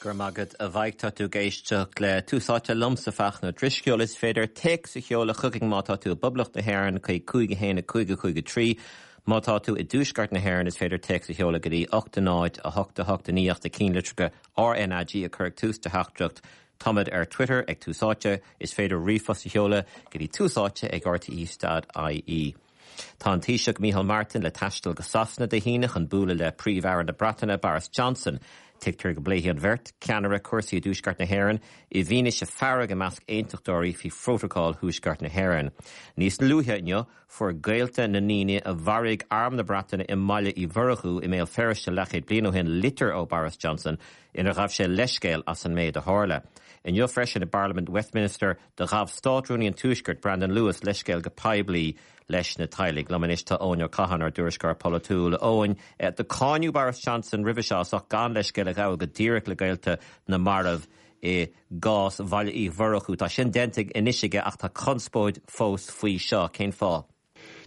Go raibh maith agat a Mhaidhc. Tá tú ag éisteacht le Tús Áite liomsa Fachtna Ó Drisceoil. Is féidir téacs a sheoladh chugainn má tá tú i bPoblacht na hÉireann chuig 5 1 5 5 3. Má tá tú i dTuaisceart na hÉireann is féidir téacs a sheoladh go dtí 8 0 8 8 9 ach na cinnlitreacha RnaG a chur ag tús do theachtaireacht. Táimid ar Twitter ag Tús Áite. Is féidir ríomhphost a sheoladh go dtí túsáite ag rte.ie. Tá an Taoiseach Micheál Martin le taisteal go Sasana Dé hAoine chun bualadh le Príomh-Aire na Breataine Boris Johnson. Tuigtear go bpléifidh an bheirt ceannaire cúrsaí i dTuaisceart na hÉireann i bhfianaise fearg i measc aontachtóirí faoi Phrótacal Thuaisceart na hÉireann. Níos luaithe inniu, fuair gaolta na ndaoine a mharaigh Arm na Breataine i mBaile Uí Mhurchú i mBéal Feirste leathchéad bliain ó shin litir ó Boris Johnson inar ghabh sé leithscéal as an méid a tharla. Inniu freisin i bParlaimint Westminster, Do ghabh Státrúnaí an Tuaiscirt, Brandon Lewis, leithscéal go poiblí leis na teaghlaigh. Liom anois tá Eoin Ó Catháin, ár dtuairisceoir polaitiúil. A Eoin, do cáineadh Boris Johnson roimhe seo as ucht gan leithscéal a ghabháil go díreach le gaolta na marbh i gcás Bhaile Uí Mhurchú. Tá sin déanta anois aige ach tá conspóid fós faoi seo. Cén fáth?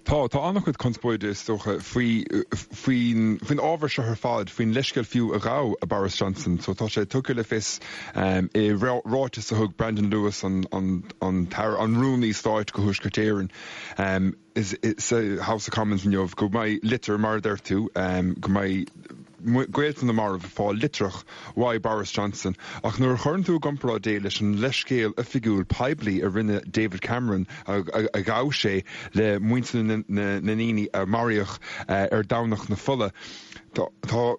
Tá, tá an-chuid conspóide, is dócha, faoi, faoin, faoin ábhar seo ar fad, faoin leithscéal fiú a ghabh Boris Johnson. So tá sé tugtha le fios i ráiteas a thug Brandon Lewis, an, an, an tAire, an Rúnaí Stáit go Thuaisceart Éireann, sa House of Commons inniu, go mbeidh litir, mar a deir tú, go mbeidh gaolta na marbh ag fáil litreach uaidh Boris Johnson ach nuair a chuireann tú i gcomparáid é leis an leithscéal oifigiúil poiblí a rinne David Cameron a ghabh sé le muintir na ndaoine a maraíodh ar Domhnach na Fola, tá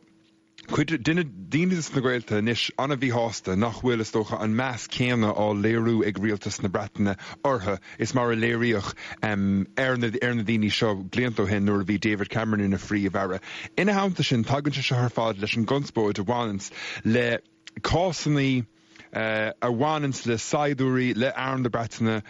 cuid de na daoine de na gaolta anois an-mhíshásta nach bhfuil, is dócha, an meas céanna á léiriú ag rialtas na Breataine orthu. is mar a léiríodh ar na daoine seo blianta ó shin nuair a bhí David Cameron ina Phríomh-Aire. Ina theannta sin, tagann sé seo ar fad leis an gconspóid a bhaineanns le cásanna a bhaineanns le saighdiúirí, le Arm na Breataine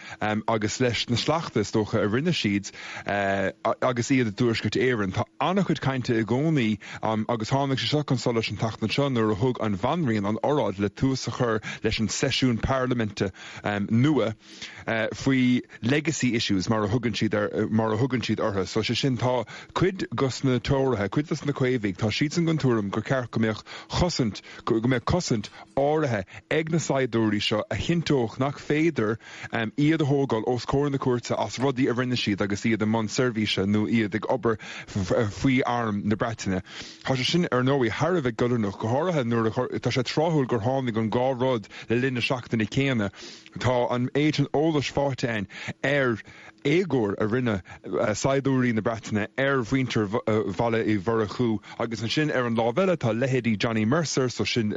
agus leis na sleachta, is dócha, a rinne siad agus iad i dTuaisceart Éireann. Tá an-chuid cainte i gcónaí agus tháinig sé seo chun solais an tseachtain seo nuair a thug an Bhanríon an oráid le tús a chur leis an seisiún parlaiminte nua. faoi legacy issues mar a thugann siad ar, mar a thugann siad orthu. So sé sin, tá cuid dos na Tóraithe, cuid dos na Caomhaigh, tá siadsan den tuairim gur ceart go mbeadh chosaint, go mbeadh cosaint áirithe ag na saighdiúirí seo a chinnteodh nach féidir iad a thógáil os comhair na cúirte as rudaí a rinne siad agus iad i mbun seirbhíse nó iad ag obair faoi arm na Breataine. Tá sé sin, ar ndóigh, thar a bheith goilliúnach, go háirithe nuair a, tá sé tráthúil gur tháinig an dhá rud le linn na seachtaine céanna. Tá an méid sin eolais faighte againn ar éagóir a rinne saighdiúirí na Breataine ar mhuintir Bhaile Uí Mhurchú agus ansin ar an lámh eile tá leithéidí Johnny Mercer, so sin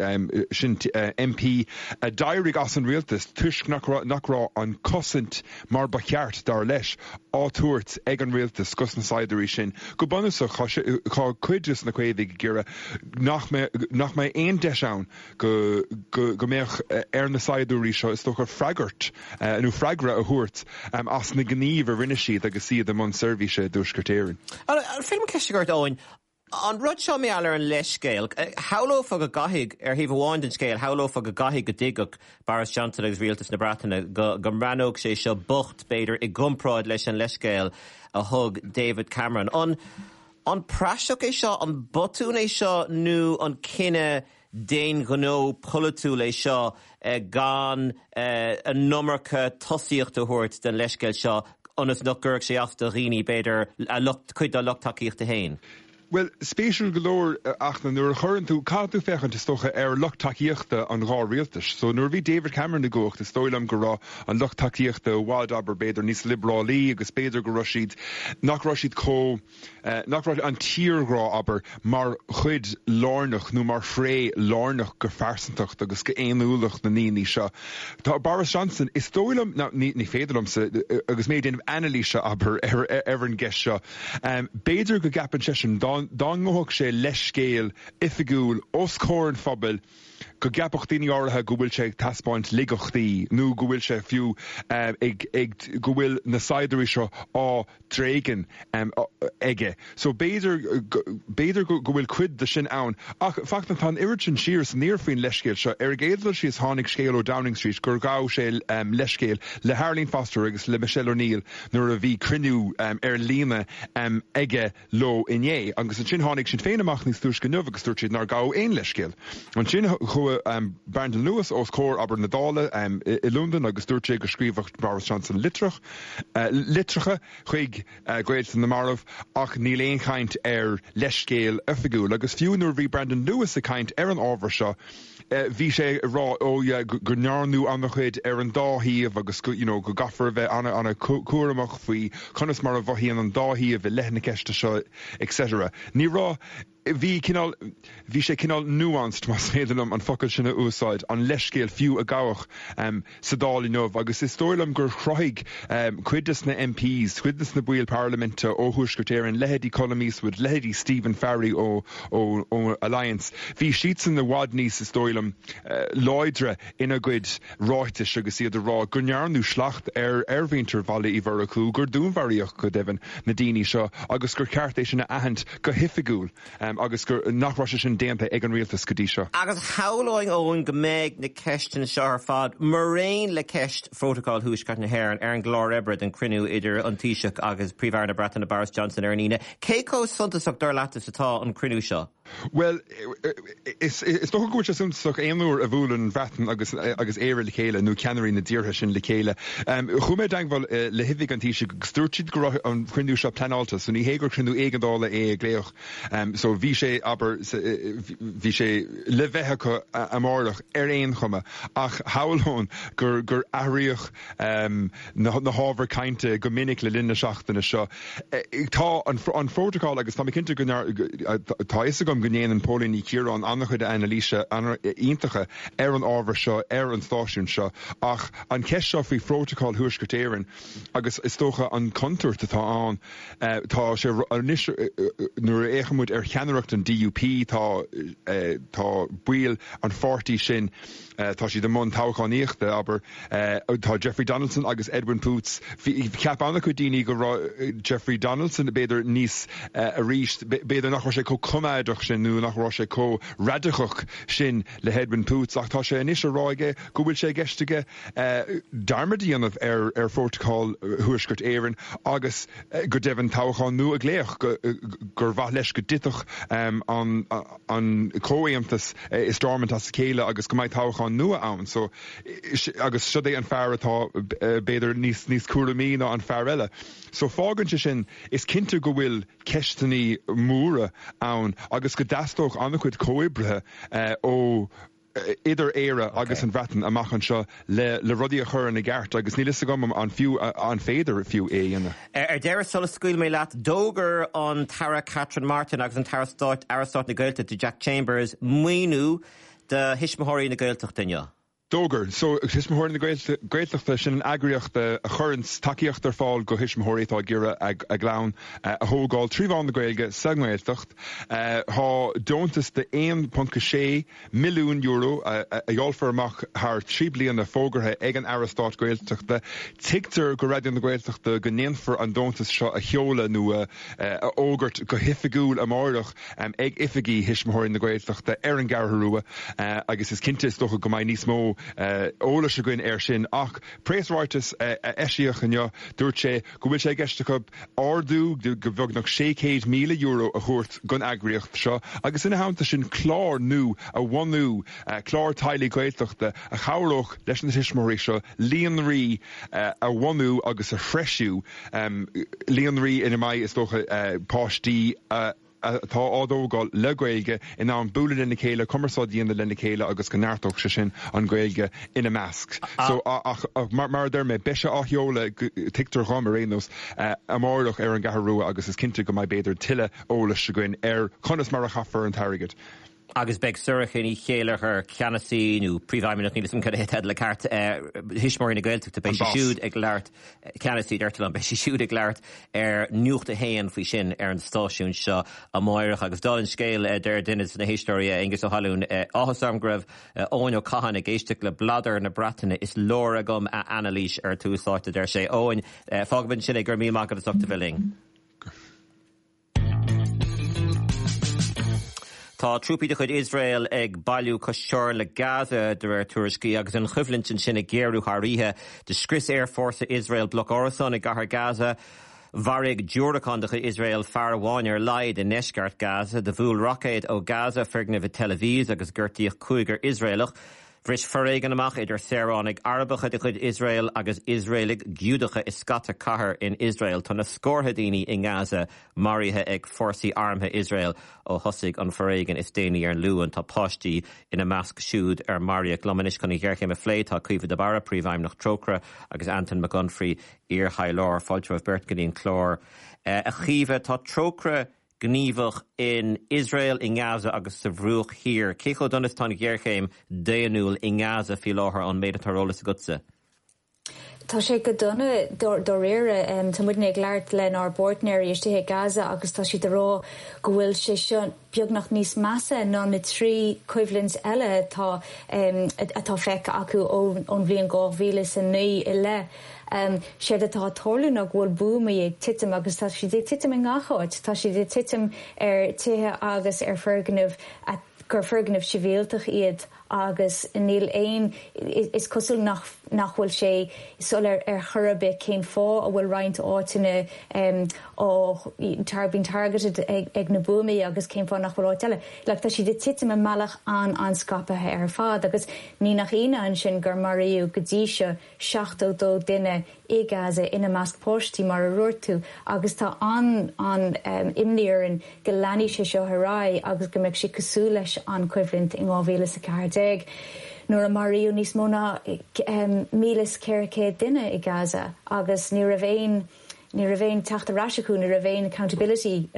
sin MP a d'éirigh as an rialtas toisc nach raibh nach raibh an cosaint mar ba cheart, dar leis, á tabhairt ag an rialtas dos na saighdiúirí sin. Go bunúsach tá cuid dos na Caomhaigh ag iarraidh nach mbeidh nach mbeidh aon deis ann go go mbeadh ar na saighdiúirí seo, is dócha, freagairt nó freagra a thabhairt as na gnímh a rinne siad agus iad i mbun seirbhíse i dTuaisceart Éireann. An féidir liom ceist a chur ort, Eoin? An rud seo mar gheall ar an leithscéal, shamhlófá go gcaithfidh, ar thaobh amháin den scéal, shamhlófá go gcaithfidh go dtuigfeadh Boris Johnson agus rialtas na Breataine go go mbreathnódh sé seo bocht, b'fhéidir, i gcomparáid leis an leithscéal a thug David Cameron. An An praiseach é seo, an botún é seo nó an cinneadh d'aon ghnó polaitiúil é seo gan an iomarca tosaíocht a thabhairt don leithscéal seo ionas nach gcuirfeadh sé as do dhaoine, b'fhéidir, a lucht, cuid dá lucht tacaíochta féin? Bhuel, spéisiúil go leor, a Fhachtna, nuair a chuireann tú, caithfidh tú féachaint, is dócha, ar lucht tacaíochta an dhá rialtais. So, nuair a bhí David Cameron i gcumhacht, is dóigh liom go raibh an lucht tacaíochta i bhfad, abair, b'fhéidir, níos liobrálaí agus b'fhéidir go raibh siad, nach raibh siad chomh, nach raibh an tírghrá, abair, mar chuid lárnach nó mar thréith lárnach go phearsantacht agus go fhéiniúlacht na ndaoine seo. Tá Boris Johnson, is dóigh liom, now ní féidir liomsa, agus mé ag déanamh anailíse, abair, ar an gceist seo, b'fhéidir go gceapann seisean dá ngabhfadh sé leithscéal oifigiúil os comhair an phobail, go gceapfadh daoine áirithe go bhfuil sé ag taispeáint laigeachtaí nó go bhfuil sé fiú ag, ag, go bhfuil na saighdiúirí seo á dtréigean aige. So b'fhéidir, b'fhéidir go bhfuil cuid de sin ann. Ach, Fachtna, tá an oiread sin siar is aniar faoin leithscéal seo. Ar an gcéad dul síos tháinig scéal ó Downing Street gur ghabh sé leithscéal le hArlene Foster agus le Michelle O'Neill nuair a bhí cruinniú ar líne aige leo inné. Agus ansin tháinig Sinn Féin amach níos túisce inniu agus dúirt siad nár gabhadh aon leithscéal. Ansin chuaigh Brandon Lewis os comhair, abair, na Dála i Londain agus dúirt sé go scríobhadh Boris Johnson litreach, litreacha chuig gaolta na marbh ach níl aon chaint ar leithscéal oifigiúil. Agus fiú nuair a bhí Brandon Lewis ag caint ar an ábhar seo, bhí sé ag rá oh yeah go ndearnadh an-chuid ar an dá thaobh agus go you know go gcaithfear a bheith an-an-chúramach faoi conas mar a mhothaíonn an dá thaobh i leith na ceiste seo etc. Ní raibh, bhí cineál, bhí sé cineál nuanced más féidir liom an focal sin a úsáid, an leithscéal fiú a gabhadh sa Dáil inniu agus is dóigh liom gur chruthaigh cuid des na MPs, cuid des na baill parlaiminte ó Thuaisceart Éireann, leithéidí Colum Eastwood, leithéidí Stephen Farry ó ó Alliance, bhí siadsan i bhfad níos, is dóigh liom, láidre ina gcuid ráitis agus iad ag rá go ndearnadh slacht ar ar mhuintir Bhaile Uí Mhurchú, gur dúnmharaíodh go deimhin na daoine seo agus gur cheart é sin a aithint go hoifigiúil agus gur nach raibh sé sin déanta ag an rialtas go dtí seo. Agus shamhlóinn, Eoin, go mbeidh na ceisteanna seo ar fad, maraon le ceist Phrótacal Thuaisceart na hÉireann, ar an gclár oibre don chruinniú idir an Taoiseach agus Príomh-Aire na Breataine Boris Johnson ar an Aoine. Cé chomh suntasach, dar leat, is atá an cruinniú seo? Bhuel, is dócha go bhfuil sé suntasach aon uair a bhuaileann an Bhreatain agus agus Éire le chéile, nó ceannairí na dtíortha sin le chéile. Chuaigh mé i dteagmháil le hoifig an Taoisigh agus dúirt siad go raibh an cruinniú seo pleanáilte, so ní hé gur cruinniú éigeandála é a glaodh. So bhí sé, abair, bhí sé le bheith acu amárach ar aon chuma, ach shamhlóinn gur gur athraíodh na hábhair cainte go minic le linn na seachtaine seo. Tá an Phrótacal agus tá mé cinnte go tá a fhios agam go ndéanann Póilín Ní Chiaráin an-chuid anailíse iontacha ar an ábhar seo ar an stáisiún seo ach an cheist seo faoi Phrótacal Thuaisceart Éireann agus is dócha an chontúirt atá ann tá sé anois nuair a fhéachann muid ar cheannaireacht an DUP tá tá baill an pháirtí sin tá siad i mbun toghchánaíochta abair Tá Jeffrey Donaldson agus Edwin Poots. Cheap an-chuid daoine go raibh Jeffrey Donaldson b'fhéidir níos arís, b'fhéidir nach raibh sé chomh coimeádach sin nó nach raibh sé chomh radacach sin le hEdwin Poots ach tá sé anois á rá aige go bhfuil sé i gceist aige dearmad a dhéanamh ar Phrótacal Thuaisceart Éireann agus go deimhin toghchán nua a ghlaoch, gur mhaith leis go dtitfeadh an comhaontas i Stormont as a chéile agus go mbeidh toghchán nua ann. So. agus siod é an fear atá b'fhéidir níos níos cúramaí ná an fear eile. So fágann sé sin, is cinnte go bhfuil ceisteannaí móra ann agus go dteastódh an-chuid comhoibrithe ó idir Éire agus an Bhreatain amach anseo le le rudaí a chur ina gceart agus níl fhios agam an fiú an féidir fiú é a dhéanamh. Ar deireadh, sula scaoilfidh mé leat, d'fhógair an tAire Catherine Martin agus an tAire Stáit, Aire Stáit na Gaeltachta Jack Chambers maoiniú do Thuismitheoirí na Gaeltachta inniu. D'fhógair. So, Tuismitheoirí na Gaeltachta, sin an eagraíocht a chuireanns tacaíocht ar fáil go thuismitheoirí atá ag iarraidh a gclann a thógáil trí mheán na Gaeilge sa nGaeltacht. Tá deontas de €1.6 milliún a dháilfear amach thar 3 bliana fógartha ag an Aire Stáit Gaeltachta. Tuigtear go Raidió na Gaeltachta go ndéanfar an deontas seo a sheoladh nó a fhógairt go hoifigiúil amáireach. ag oifigí Thuismitheoirí na Gaeltachta ar an gCeathrú Rua agus is cinnte is dócha go mbeidh níos mó eolais againn air sin ach preasráiteas a eisíodh inniu dúirt sé go bhfuil sé i gceist acu ardú de bheagnach €600,000 a thabhairt don eagraíocht seo agus ina theannta sin clár nua a bhunú, clár teaghlaigh Gaeltachta a chabhródh leis na tuismitheoirí seo líonraí a bhunú agus a threisiú. Líonraí ina mbeidh, is dócha, páistí atá á dtógáil le Gaeilge in ann bualadh lena chéile, cumarsáid a dhéanamh lena chéile agus go neartódh sé sin an Ghaeilge ina measc. So, ach mar a deir mé, beidh sé á sheoladh, tuigtear dhom ar aon nós, amárach ar an gCeathrú Rua agus is cinnte go mbeidh b'fhéidir tuilleadh eolais againn ar conas mar a chaithfear an t-airgead. Agus beidh Sorcha Ní Chéilleachair, ceannasaí nó príomhfheidhmeannach, níl 'fhios agam cad é an teideal ceart, Thuismitheoirí na Gaeltachta, beidh sí siúd ag labhairt, ceannasaí deirtear liom, beidh sí siúd ag labhairt ar Nuacht a hAon faoi sin ar an stáisiún seo amáireach. Agus dála an scéil, deir duine de na héisteoirí, Aengus Ó hAlúin, áthas orm go raibh Eoin Ó Catháin ag éisteacht le bladar na Breataine, is leor agam a anailís ar Tús Áite, a deir sé. Eoin, fágfaimid ansin é, go raibh míle maith agat as ucht a bheith linn. Tá trúpaí de chuid Iosrael ag bailiú cois teorann le Gaza, de réir tuairiscí, agus an choimhlint ansin ag géarú thar oíche. Do scrios aerfhórsa Iosrael bloc árasán i gcathair Gaza. Mharaigh diúracán de chuid Iosrael fear amháin ar a laghad i ndeisceart Gaza. Do bhuail roicéad ó Gaza foirgneamh i Tel Aviv agus gortaíodh cúigear Iosraelach. Bhris foréigean amach idir saoránaigh Arabacha de chuid Iosrael agus Iosraelaigh Giúdacha i scata cathair in Iosrael. Tá na scórtha daoine i nGaza maraithe ag fórsaí armtha Iosrael ó thosaigh an foréigean is déanaí ar an Luan. Tá páistí ina measc siúd ar maraíodh. Liom anois chun an ghéarchéim a phlé tá Caoimhe de Barra, Príomhfheidhmeannach Trócaire, agus Antain Mac Unfraidh, Iar-thaidhleoir. Fáilte romhaibh beirt go dtí an clár. A Chaoimhe, tá Trócaire gníomhach in Iosrael, i nGaza agus sa Bhruach Thiar. Cé chomh dona is atá an ghéarchéim daonnúil i nGaza faoi láthair ón méid atá ar eolas agatsa? Tá sé go dona dáiríre. Tá muidne ag labhairt lenár bpáirtnéirí istigh i Gaza agus tá siad ag rá go bhfuil sé seo beagnach níos measa ná na 3 choimhlint eile atá atá feicthe acu ón bhliain 2009 i leith. Séard atá ag tarlú ná go bhfuil buamaí ag titim agus tá siad ag titim i ngach áit. Tá siad ag titim ar tithe agus ar foirgnimh gur foirgnimh sibhialtach iad agus níl aon, is cosúil nach nach bhfuil sé soiléir ar chor ar bith cén fáth a bhfuil roinnt áiteanna á being targeted ag na buamaí agus cén fáth nach bhfuil áit eile. Like tá siad ag titim i mbealach an-an-scaipthe ar fad agus ní nach ionadh ansin gur maraíodh go dtí seo 72 duine i Gaza, ina measc páistí, mar a dúirt tú, agus tá an-an-imní orainn go leanfaidh sé seo ar aghaidh agus go mbeidh sé cosúil leis an choimhlint in 2014 nuair a maraíodh níos mó ná 1,400 duine i Gaza agus ní raibh aon ní raibh aon teacht ar ais acu, ní raibh aon accountability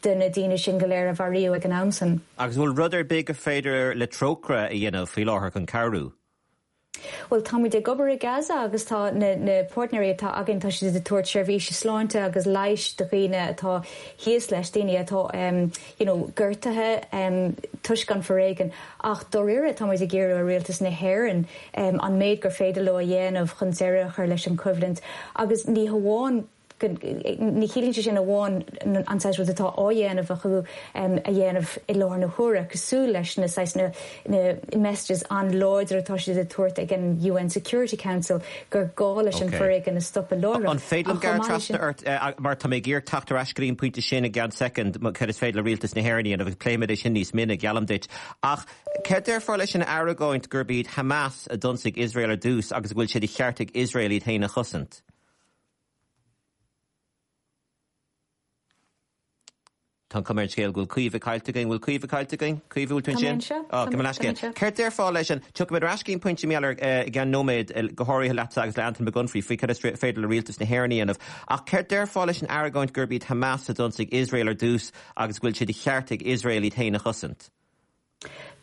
do na daoine sin go léir a maraíodh ag an am san. Agus an bhfuil rud ar bith gur féidir le Trócaire a dhéanamh faoi láthair chun cabhrú? Bhuel, táimid ag obair i Gaza agus tá na na páirtnéirí atá againn, tá siad ag tabhairt seirbhíse sláinte agus leighis do dhaoine atá thíos leis, daoine atá you know gortaithe toisc an foréigean. Ach dáiríre táimid ag iarraidh ar Rialtas na hÉireann an méid gur féidir leo a dhéanamh chun deireadh a chur leis an choimhlint agus ní hamháin Ní chiallaíonn sé sin amháin an saghas rud atá á dhéanamh acu a dhéanamh i láthair na huaire, cosúil leis na saghas na messages an-láidir atá siad ag tabhairt ag an UN Security Council gur gá leis an foréigean a stopadh láithreach. An féidir liom gearradh trasna ort, mar tá mé ag iarraidh teacht ar ais go dtí an pointe sin i gceann soicind, cad is féidir le rialtas na hÉireann a dhéanamh, agus pléifimid é sin níos mine, geallaim duit. Ach cad déarfá leis an argóint gurb iad Hamas a d'ionsaigh Iosrael ar dtús agus go bhfuil sé de cheart ag Iosrael iad féin a chosaint? Tá an chuma ar an scéal go bhfuil Caoimhe caillte againn. Bhfuil Caoimhe caillte againn? Caoimhe, bhfuil tú ansin? Tá mé anseo. Tá mé anseo. Céard déarfá leis an, tiocfaimid ar ais go dtí an pointe mar gheall air i gceann nóiméad, go háirithe leatsa agus le Antain Mac Unfraidh faoi cad is féidir le rialtas na hÉireann a dhéanamh. Ach céard déarfá leis an argóint gurb iad Hamas a d'ionsaigh Iosrael ar dtús agus go bhfuil sé de cheart ag Iosrael iad féin a chosaint?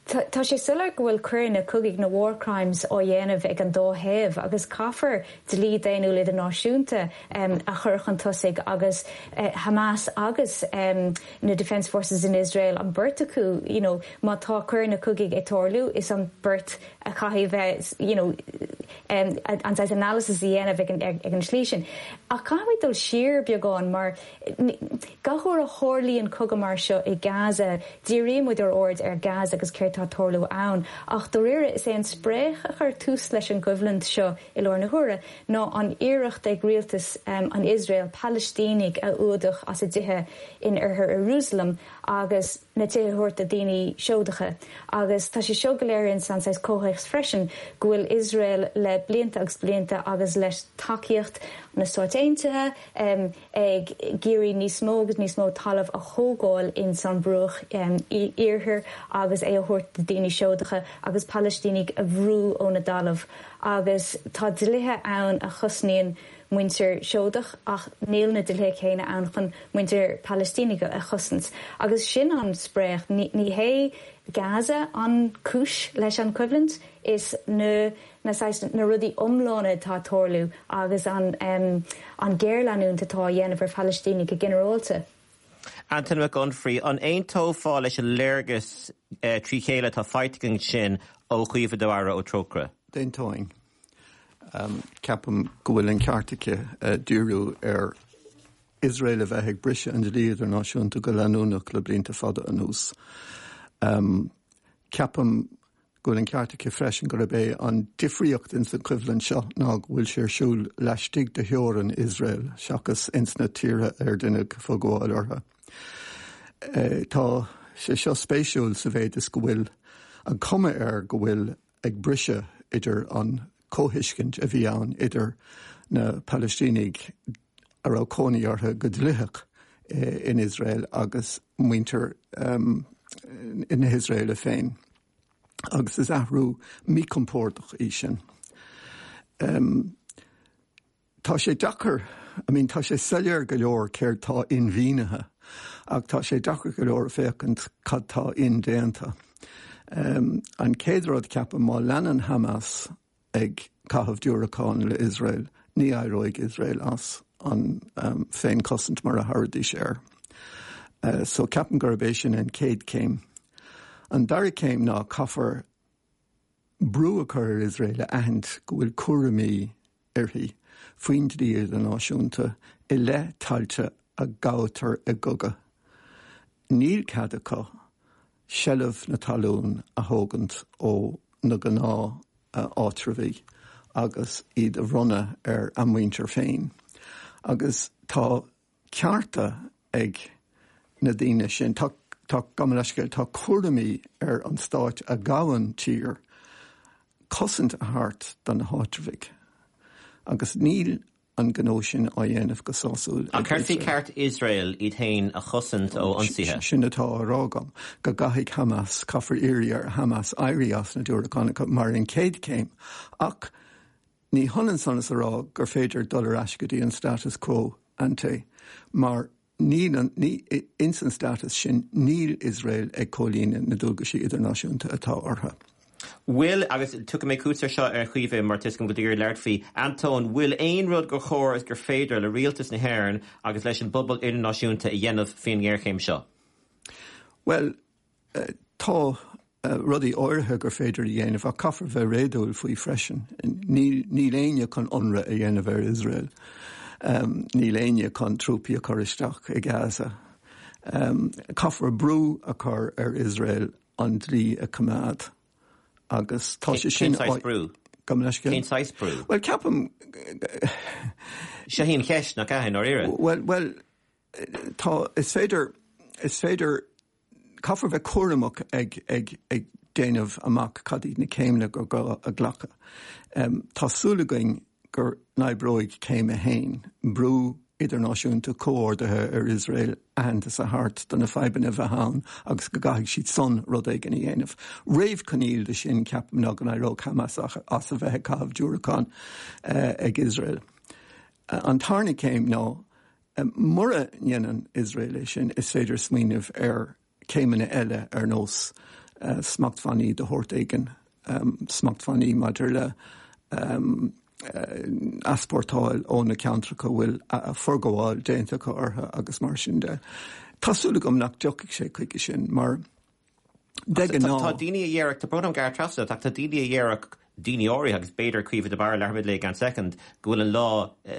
Tá sé soiléir go bhfuil coireanna cogaidh, na war crimes, á dhéanamh ag an dá thaobh agus caithfear dlí daonnúil idirnáisiúnta a chur chun tosaigh agus Hamas agus na Defence Forces in Israel, an beirt acu, you know, má tá coireanna cogaidh ag tarlú, is an beirt a chaithfidh bheith, you know, an saghas analysis a dhéanamh ag an tslí sin. Ach caithfimid dul siar beagán mar Gach uair a tharlaíonn cogadh mar seo i Gaza, díríonn muid ár aird ar Gaza agus céard tá ag tarlú ann. Ach dáiríre, is é an spréach a chuir tús leis an gcoimhlint seo i lár na huaire ná an iarracht ag rialtas an Iosrael Palaistínigh a fhuadach as a dtithe in oirthear Iarúsailéim agus na tithe a thabhairt do daoine Seodacha. Agus tá sé seo go léir ins an saghas comhthéacs freisin go bhfuil Iosrael le blianta agus blianta agus le tacaíocht na Stáit Aontaithe, ag iarraidh níos mó agus níos mó talamh a thógáil ins an Bhruach Iarthair agus é a thabhairt do daoine Seodacha agus Palaistínigh a bhrú óna dtalamh agus tá dlíthe ann a chosnaíonn muintir Seodach ach níl na dlíthe céanna ann chun muintir Palaistínigh a chosaint agus sin an spréach. Ní hé Gaza an cúis leis an choimhlint, is na na saghas, na rudaí iomlána atá ag tarlú agus an an géarleanúint atá á dhéanamh ar Phalaistínigh go ginearálta. Antain Mac Unfraidh, an aontófá leis an léargas trí chéile atá faighte againn ansin ó Chaoimhe de Barra ó Trócaire? D'aontóinn. Ceapaim go bhfuil an ceart aici díriú ar Iosrael a bheith ag briseadh an dlí idirnáisiúnta go leanúnach le blianta fada anuas. Ceapaim. go bhfuil an ceart aici freisin gurb é an difríocht ins an choimhlint seo ná go bhfuil sé ar siúl laistigh de theorainn Iosrael seachas ins na tíortha ar deineadh foghabháil orthu. Tá sé seo spéisiúil sa mhéid is go bhfuil an cuma air go bhfuil ag briseadh idir an comhthuiscint a bhí ann idir na Palaistínigh a raibh cónaí orthu go dlítheach in Iosrael agus muintir na hIosraeile féin. Agus is athrú míchompordach í sin. Tá sé deacair, I mean tá sé soiléir go leor céard tá inmhianaithe ach tá sé deacair go leor féachaint cad tá indéanta. An chéad rud ceapaim má leanann Hamas ag caitheamh diúracán le Iosrael ní éireoidh Iosrael as an féinchosaint mar a thabharfaidís air. So ceapaim gurb é sin an chéad chéim. An dara céim ná caithfear brú a chur ar Iosrael a aithint go bhfuil cúraimí uirthi faoin dlí idirnáisiúnta i leith tailte a gabhtar i gcogadh. Níl cead acu seilbh na talún a thógaint ó na gnáth-áitreabhaigh agus iad a bhronnadh ar a muintir féin. Agus tá cearta ag na daoine sin. Tá, tá, gabh mo leithscéal, tá cúraimí ar an stáit a ghabhann tír cosaint a thabhairt do na háitreabhaigh agus níl an gnó sin á dhéanamh go sásúil ag Iosrael. An gcuirfí ceart Iosrael iad féin a chosaint ó ionsaithe? Sin atá á rá agam, go gcaithfidh Hamas, caithfear iarraidh ar Hamas éirí as na diúracáin mar an chéad chéim ach Ní hionann san is a rá gur féidir dul ar ais go dtí an status quo ante, mar níl an, ní, ins an status sin níl Iosrael ag comhlíonadh na dualgaisí idirnáisiúnta atá orthu. Bhfuil, agus tiocfaidh mé chugat air seo a Chaoimhe mar tá 'fhios agam go bhfuil tú ag iarraidh labhairt faoi, Antóin, bhfuil aon rud gur chóir is gur féidir le rialtas na hÉireann agus leis an bpobal idirnáisiúnta a dhéanamh faoin ngéarchéim seo? Bhuel, Tá rudaí áirithe gur féidir a dhéanamh ach caithfear bheith réadúil faoi freisin. Níl níl éinne chun ionradh a dhéanamh ar Iosrael. Níl éinne chun trúpaí a chur isteach i Gaza. Caithfear brú a chur ar Iosrael an dlí a choimeád agus tá sé sin. Cén saghas brú? Gabh mo leithscéal? Cén saghas brú? Bhuel, ceapaim. Seo í an cheist, nach ea, i ndáiríre? Bhuel, bhuel, tá, is féidir, is féidir Caithfear bheith cúramach ag ag ag déanamh amach cad iad na céimeanna gur gá a ghlacadh. Tá súil againn go n-oibreoidh céim a haon, brú idirnáisiúnta comhordaithe ar Iosrael aitheantas a thabhairt do na fadhbanna a bheith ann agus go gcaithfidh siad san rud éigin a dhéanamh. Réamhchoinníoll de sin, ceapaim, ná go n-éireodh Hamas as a bheith ag caitheamh diúracán ag Iosrael. An tarna céim ná Mura ndéanann Iosrael é sin, is féidir smaoineamh ar chéimeanna eile ar nós smachtbhannaí de shórt éigin, smachtbhannaí maidir le easpórtáil ó na ceantracha a bhfuil forghabháil déanta acu orthu agus mar sin de. Tá súil agam nach dtiocfaidh sé chuige sin mar De ghnáth. Tá daoine a dhéarfadh, tá brón orm gearradh trasna ort, ach tá daoine a dhéarfadh, daoine áirithe, agus b'fhéidir Caoimhe de Barra, labharfaimid léi i gceann soicind, go bhfuil an lá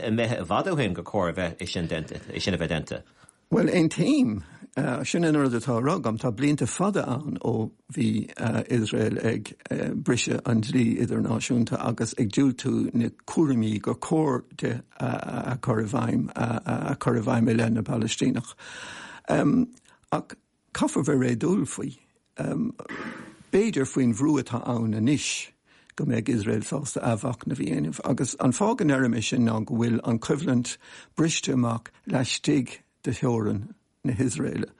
imithe i bhfad ó shin gur chóir a bheith é sin déanta, é sin a bheith déanta. Bhuel, aontaím. Sin an rud atá á rá agam. Tá blianta fada ann ó bhí Iosrael ag briseadh an dlí idirnáisiúnta agus ag diúltú na cúraimí gur chóir di a chur i bhfeidhm, a chur i bhfeidhm i leith na bPalaistíneach. Ach Caithfear bheith réadúil faoi. B'fhéidir faoin bhrú atá ann anois go mbeidh Iosrael sásta athmhachnamh a dhéanamh. Agus an fáth go ndeirim é sin ná go bhfuil an choimhlint briste amach laistigh de theorainn na hIosraeile,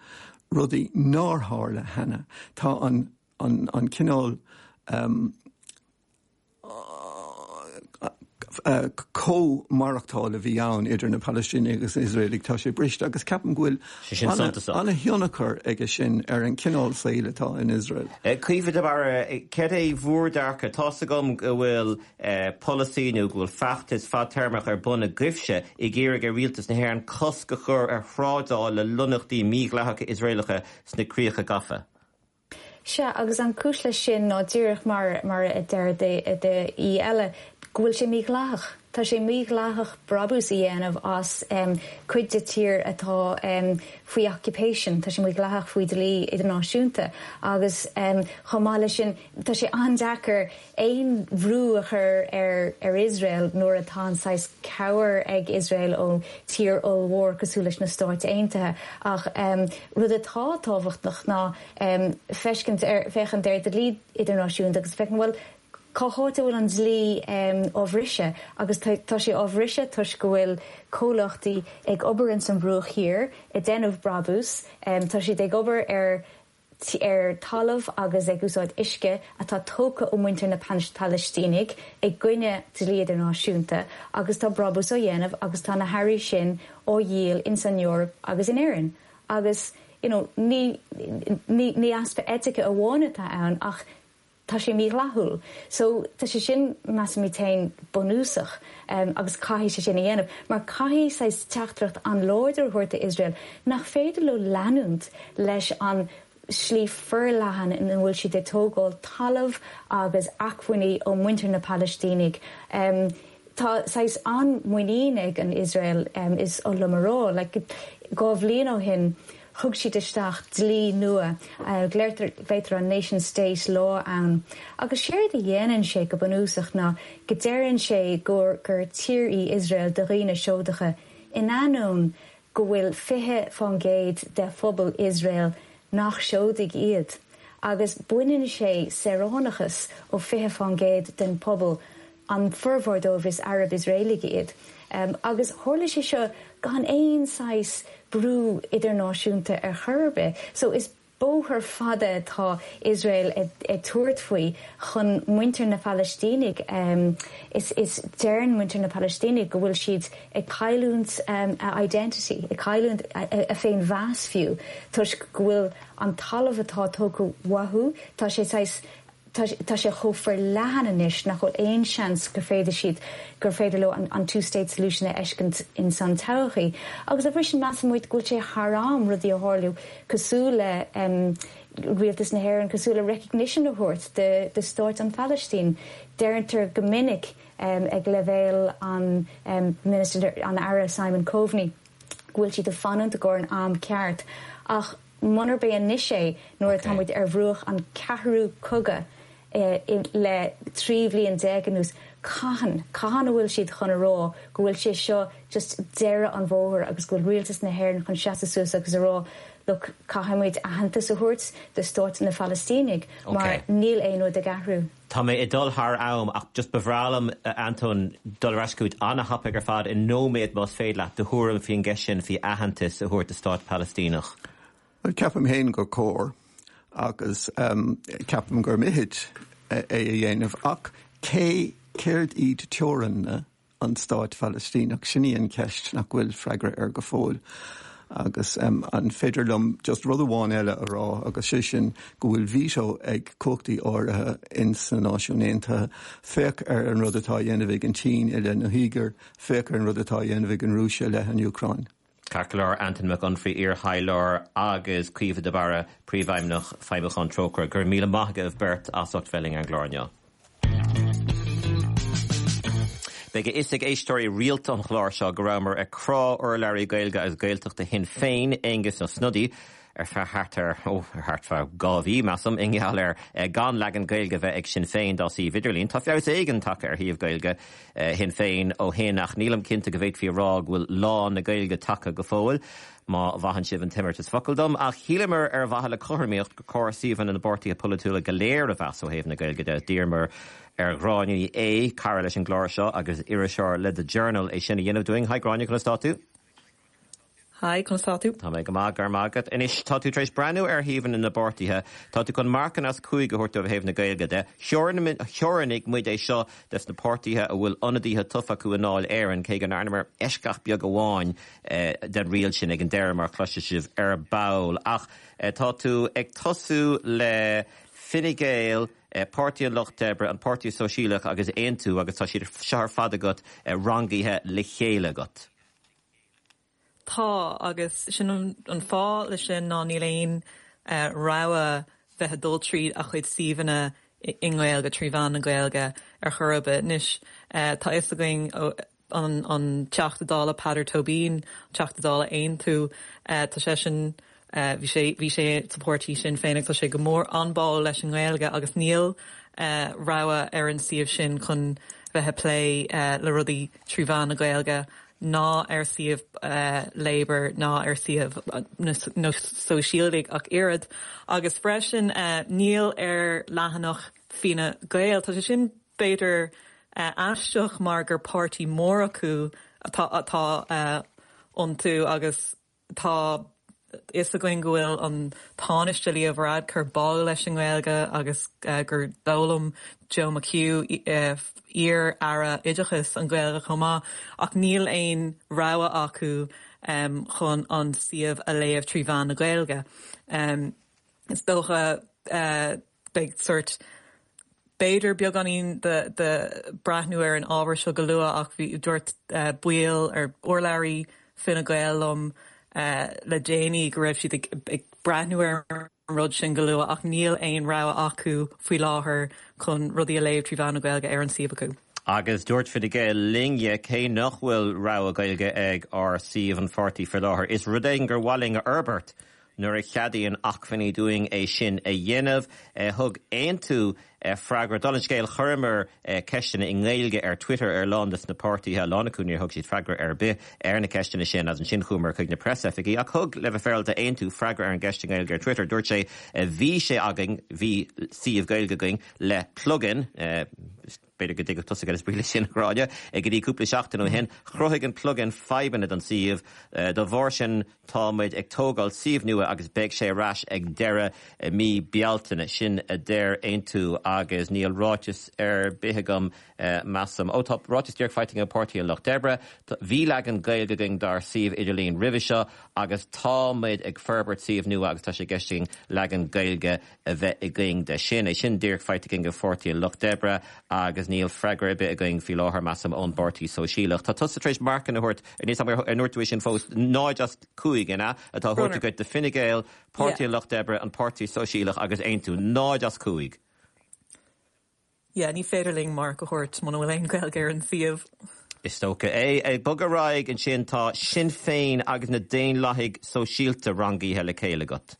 rudaí nár tharla cheana. Tá an an cineál comh-mhaireachtáil a bhí ann idir na Palaistínigh agus na hIosraelaigh, tá sé briste agus ceapaim go bhfuil an-thionchar aige sin ar an chineál saoil atá in Iosrael. Caoimhe de Barra, céard é bhur dearcadh? Tá's agam go bhfuil polasaí nó go bhfuil feachtas fadtéarmach ar bun agaibhse ag iarraidh ar rialtas na hÉireann cosc a chur ar thrádáil le lonnaíochtaí mídhleathacha Iosraelacha sna críocha gafa. Sea, agus an chúis leis sin ná díreach mar mar a deir d'aoi eile, go bhfuil sé mídhleathach. Tá sé mídhleathach brabús a dhéanamh as cuid de tír atá faoi occupation, tá sé mídhleathach faoi dlí idirnáisiúnta agus chomh maith leis sin tá sé an-deacair aon bhrú a chur ar Iosrael nuair atá an saghas cabhair ag Iosrael ó tír ollmhór cosúil leis na Stáit Aontaithe. Ach rud atá tábhachtach ná feiscint ar, féachaint ar dlí idirnáisiúnta agus féachaint bhuel Cá háit a bhfuil an dlí á bhriseadh? Agus tá sé á bhriseadh toisc go bhfuil comhlachtaí ag obair ins an Bhruach Thiar ag déanamh brabús. Tá siad ag obair ar ar talamh agus ag úsáid uisce atá tógtha ó muintir na Palaistínigh i gcoinne dlí idirnáisiúnta agus tá brabús á dhéanamh agus tá na hearraí sin á dhíol ins an Eoraip agus in Éirinn. Agus you know ní ní ní easpa eitice amháin atá ann ach Tá sé mídhleathúil. So, tá sé sin, measaimid féin, bunúsach agus caithfidh sé sin a dhéanamh mar caithfidh saghas teachtaireacht an-láidir a thabhairt do Iosrael nach féidir leo leanúint leis an slí forleathan ina bhfuil siad ag tógáil talamh agus acmhainní ó muintir na Palaistínigh. Tá saghas an-mhuinín ag an Iosrael, is oth liom a rá. Like, 2 bhliain ó shin, thug siad isteach dlí nua, glaotar an Nation State Law ann, agus séard a dhéanann sé go bunúsach ná go deireann sé gur gur tír í Iosrael do dhaoine Seodacha, in ainneoin go bhfuil 20% de phobal Iosrael nach Seodaigh iad, agus baineann sé saoránachas ó 20% den phobal An formhór dóibh is Arab Iosraelaigh iad. Agus tharla sé seo gan aon saghas brú idirnáisiúnta ar chor ar bith. So is bóthar fada atá Iosrael ag tabhairt faoi chun muintir na Phalaistínigh, is is deireann muintir na Palaistínigh go bhfuil siad ag cailliúint a identity, ag cailliúint a féinmheas fiú, toisc go bhfuil an talamh atá tógtha uathu, tá sé saghas Tá sé chomh forleathan anois nach bhfuil aon seans gur féidir siad, gur féidir leo an two state solution a fheiscint in san todhchaí. Agus dá bhrí sin measann muid go bhfuil sé thar am rudaí a tharlú cosúil le Rialtas na hÉireann, cosúil le recognition a thabhairt do stáit an Phalaistín. Deirtear go minic ag leibhéal an Minister, an Aire Simon Coveney go bhfuil siad ag fanúint i gcomhair an am ceart ach Munarb é anois é nuair atá muid ar bhruach an ceathrú cogadh le 13 bhliain anuas, cathain, cathain a bhfuil siad chun a rá go bhfuil sé seo just deireadh an bhóthair agus go bhfuil rialtas na hÉireann chun seasamh suas agus a rá look, caithfidh muid aitheantas a thabhairt do stáit na Phalaistínigh mar níl aon rud ag athrú. Tá mé ag dul thar am ach just ba bhreá liom, a Antóin, dul ar ais chugat an-thapaidh ar fad i nóiméad más féidir leat, do thuairim faoin gceist sin faoi aitheantas a thabhairt do stát Palaistíneach. Bhuel, ceapaim féin gur cóir agus ceapaim gur mithid é a dhéanamh ach cé, céard iad teorainn an Stáit Phalaistíneach? Sin í an cheist nach bhfuil freagra air go fóill. Agus an féidir liom just rud amháin eile a rá agus sé sin go bhfuil veto ag cumhachtaí áirithe in sna Náisiúin Aontaithe. Féach ar an rud atá á dhéanamh ag an tSín i leith na hUígir, féach ar an rud atá á dhéanamh ag an Rúis i leith an Úcráin. Ceart go leor, Antain Mac Unfraidh, iar-thaidhleoir agus Caoimhe de Barra, Príomhfheidhmeannach Feidhmiúcháin Trócaire. Go raibh míle maith agaibh beirt as ucht bheith linn ar an gclár inniu. Beidh a fhios ag éisteoirí rialta an chláir seo go rabhamar ag crá urlabhraí Gaeilge agus Gaeltachta Shinn Féin, Aengus Ó Snodaigh, ar feadh thart ar, ó, thart fá 2 mhí, measaim, i ngeall ar gan leagan Gaeilge a bheith ag Sinn Féin dá suíomh idirlín. Tá feabhas éigin tagtha ar shuíomh Gaeilge Shinn Féin ó shin ach nílim cinnte go bhféadfaí a rá go bhfuil lá na Gaeilge tagtha go fóill, má mhaitheann sibh an t-imeartas focal dom. Ach shíleamar ar mhaithe le cothromaíocht gur chóir suíomhanna na bpáirtithe polaitiúla go léir a mheas ó thaobh na Gaeilge de. D'iarramar ar Ghráinne Ní Aodha, cara leis an gclár seo agus iriseoir le The Journal, é sin a dhéanamh dúinn. Hi Gráinne, conas tá tú? Hi, conas tá tú? Tá mé go maith, go raibh maith agat. Anois, tá tú tar éis breathnú ar shuíomhanna na bpáirtithe. Tá tú chun marcanna as 5 a thabhairt dóibh ó thaobh na Gaeilge de. Theorannaigh muid é seo des na páirtithe a bhfuil ionadaithe tofa acu i nDáil Éireann, cé go ndearnamar eisceacht beag amháin den riail sin ag an deireadh, mar a chloisfidh sibh ar ball. Ach tá tú ag tosú le Fine Gael, Páirtí an Lucht Oibre, an Páirtí Sóisialach agus Aontú agus tá siad seo ar fad agat rangaithe le chéile agat. Tá, agus sin an fáth leis sin ná níl aon rogha bheith ag dul tríd a chuid suíomhanna. i nGaeilge, trí mheán na Gaeilge ar chor ar bith. Anois, tá fhios againn an an Teachta Dála Peadar Tóibín, Teachta Dála Aontú, tá seisean, bhí sé, bhí sé sa pháirtí Sinn Féin agus tá sé go mór an-báúil leis an nGaeilge agus níl rogha ar an suíomh sin chun bheith ag plé le rudaí trí mheán na Gaeilge ná ar suíomh Labour ná ar suíomh na Sóisialaigh ach oiread. Agus freisin níl ar leathanach Fine Gael. Tá sé sin b'fhéidir aisteach mar gur páirtí mór acu atá atá iontu agus Tá fhios againn go bhfuil an Tánaiste Leo Varadkar báúil leis an nGaeilge agus gur d'fhoghlaim Joe McHugh, iar-aire oideachais, an Ghaeilge chomh maith, ach níl aon rogha acu chun an suíomh a léamh trí mheán na Gaeilge. Is dócha beidh sórt, b'fhéidir beagáinín de breathnú ar an ábhar seo go luath ach bhí, dúirt baill ar urlabhraí Fine Gael liom le déanaí go raibh siad ag breathnú ar an rud sin go luath ach níl aon rogha acu faoi láthair chun rudaí a léamh trí mheán na Gaeilge ar an suíomh acu. Agus dúirt Fine Gael linne, cé nach bhfuil rogha Gaeilge ag ár suíomh an pháirtí faoi láthair, is rud éigin gur mhaith linn a fhorbairt Nuair a cheadaíonn acmhainní dúinn é sin a dhéanamh, thug Aontú freagra. Dála an scéil, chuireamar ceisteanna i nGaeilge ar Twitter ar a lán de na páirtithe, a lán acu níor thug siad freagra ar bith ar na ceisteanna sin agus ansin chuamar chuig na preasoifigí. Ach thug, le bheith féaráilte, Aontú freagra ar an gceist i nGaeilge ar Twitter. Dúirt sé, Bhí sé againn, bhí suíomh Gaeilge againn le plugin, B'fhéidir go dtuigfeadh tusa cad is brí leis sin, a Ghráinne. Go dtí cúpla seachtain ó shin, chruthaigh an plugin fadhbanna don suíomh. Dá bharr sin, tá muid ag tógáil suíomh nua agus beidh sé ar ais ag deireadh mí Bealtaine. Sin a deir Aontú agus níl ráiteas ar bith agam, measaim. Ó, tá ráiteas díreach faighte agam ó Páirtí an Lucht Oibre. Bhí leagan Gaeilge againn dár suíomh idirlín roimhe seo agus tá muid ag forbairt suíomh nua agus tá sé i gceist againn leagan Gaeilge a bheith againn de sin. É sin díreach faighte againn ó Pháirtí an Lucht Oibre agus níl freagra ar bith againn faoi láthair, measaim, ón bPáirtí Sóisialach. Tá tusa tar éis marcanna a thabhairt, níl 's agam ar ndúirt tú é sin fós, 0 as 5, an ea, atá á thabhairt agat do Fine Gael, Páirtí an Lucht Oibre, an Páirtí Sóisialach agus Aontú. 0 as 5. Yeah, ní féidir linn marc a thabhairt muna bhfuil aon Ghaeilge ar an suíomh. Is dócha é. Ag bogadh ar aghaidh ansin tá Sinn Féin agus na Daonlathaigh Sóisialta rangaithe le chéile agat.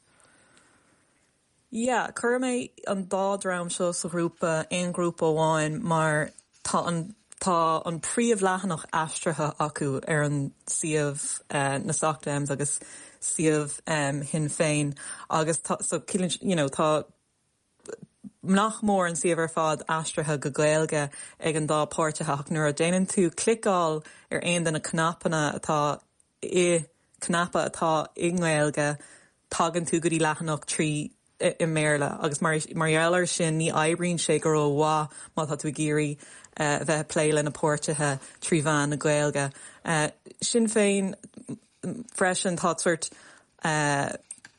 Yeah, chuir mé an dá dream seo sa ghrúpa, aon ghrúpa amháin, mar tá an tá an príomhleathanach aistrithe acu ar an suíomh na Soc Dems agus suíomh Shinn Féin agus tá so you know tá nach mór an suíomh ar fad aistrithe go Gaeilge ag an dá páirtithe ach nuair a déanann tú cliceáil ar aon de na cnapanna atá i cnaipe atá i nGaeilge tagann tú go dtí leathanach trí i mBéarla agus mar mar gheall ar sin ní oibríonn sé go rómhaith má tá tú ag iarraidh bheith ag plé le na páirtithe trí mheán na Gaeilge. Sinn Féin Freisin tá sórt,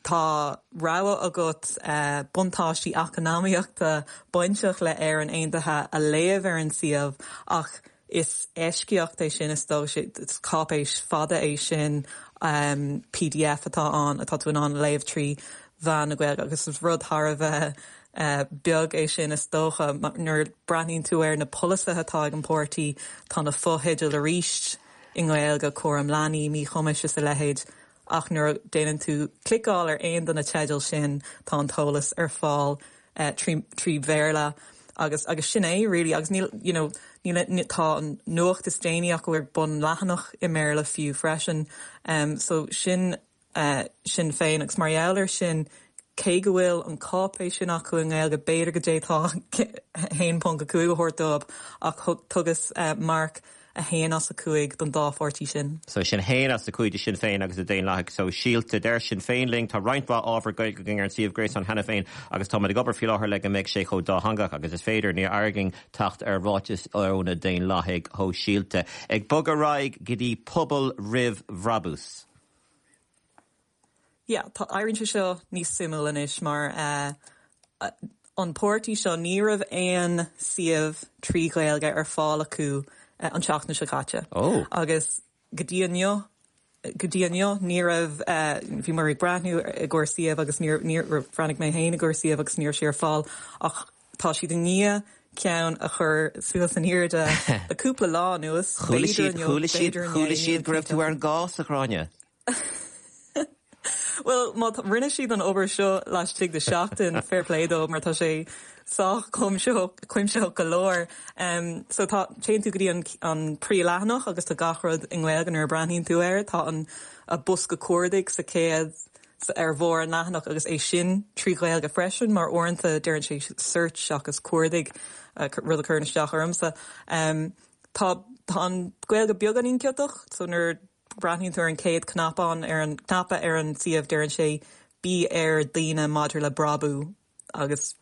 tá rogha agat buntáistí eacnamaíochta bainteach le Éirinn Aontaithe a léamh ar an suíomh ach is eisceacht é sin is dócha, is cáipéis fada é sin, pdf atá ann atá tú in ann a léamh trí mheán na Gaeilge agus is rud thar a bheith beag é sin is dócha. Nuair a breathnaíonn tú ar na polasaithe atá ag an bpáirtí tá na fotheidil arís. i nGaeilge, cúram leanaí, míchumais is a leithéid, ach nuair a déanann tú cliceáil ar aon de na teidil sin tá an t-eolas ar fáil trí trí Bhéarla agus agus sin é really agus níl you know níl tá an nuacht is déanaí acu ar bun leathanach i mBéarla fiú freisin so sin Sinn Féin agus mar gheall air sin, cé go bhfuil an cáipéis sin acu i nGaeilge, b'fhéidir go d'fhéadfá 1.5 a thabhairt dóibh ach thugas marc 1 as 5 don dá pháirtí sin. So sin 1 as 5 do Sinn Féin agus do Daonlathaigh Sóisialta. Deir Sinn Féin linn, tá roinnt mhaith ábhar Gaeilge againn ar an suíomh gréasáin cheana féin agus táimid ag obair faoi láthair le go mbeidh sé chomh dátheangach agus is féidir. Níor éirigh linn teacht ar ráiteas ó na Daonlathaigh Shóisialta. Ag bogadh ar aghaidh go dtí Pobal Roimh Bhrabús. Yeah, tá, éiríonn sé seo níos suimiúil anois mar eh an páirtí seo ní raibh aon suíomh trí Ghaeilge ar fáil acu an tseachtain seo caite. Oh. Agus go dtí inniu, go dtí inniu ní raibh eh bhí muid ag breathnú i gcomhair suíomh agus níor, níor, bhreathnaigh mé féin i gcomhair suíomh agus ní raibh sé ar fáil ach. Tá siad i ndiaidh ceann a chur suas in airde le cúpla lá anuas, Chuala b'fhéidir siad, inniu, chuala siad, b'fhéidir inné, chuala siad nílim go raibh cinnte. tú ar an gcás, a Ghráinne. Bhuel, má rinne siad an obair seo laistigh de sheachtain, fair play dóibh mar tá sé sách cuimsitheach go leor. So tá, téann tú go dtí an an príomhleathanach agus tá gach rud i nGaeilge nuair a breathnaíonn tú air. Tá an bosca cuardaigh sa chéad, ar bharr an leathanach agus é sin trí Ghaeilge freisin mar uaireanta deireann sé search seachas cuardaigh, rud a chuireann isteach ormsa. Tá tá an Ghaeilge beagáinín ciotach so nuair breathnaíonn tú ar an chéad cnapán ar an cnaipe ar an suíomh deireann sé bí ar daoine maidir le brabú agus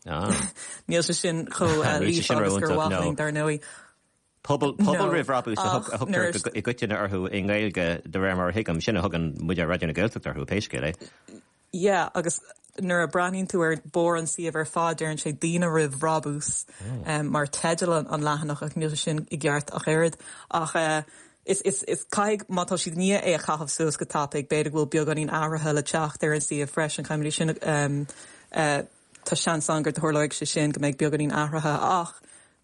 níl sé sin chomh líofa agus gur mhaith linn dar ndóigh. Pobal pobal roimh bhrabús a thugtar i gcoitinne orthu i nGaeilge de réir mar a thuigim, sin a thugann muid ar Raidió na Gaeltachta orthu, pé scéal é. Yeah, agus nuair a breathnaíonn tú ar barr an suíomh ar fad deireann sé daoine roimh bhrabús mar teideal an leathanach ach níl sé sin i gceart ach oiread. Ach is, is, is caithfidh, má tá siad i ndiaidh é a chaitheamh suas go tapaidh, b'fhéidir go bhfuil beagáinín athraithe le teacht ar an suíomh freisin, caithfimid é sin, tá seans ann go dtarlóidh sé sin, go mbeidh beagáinín athraithe ach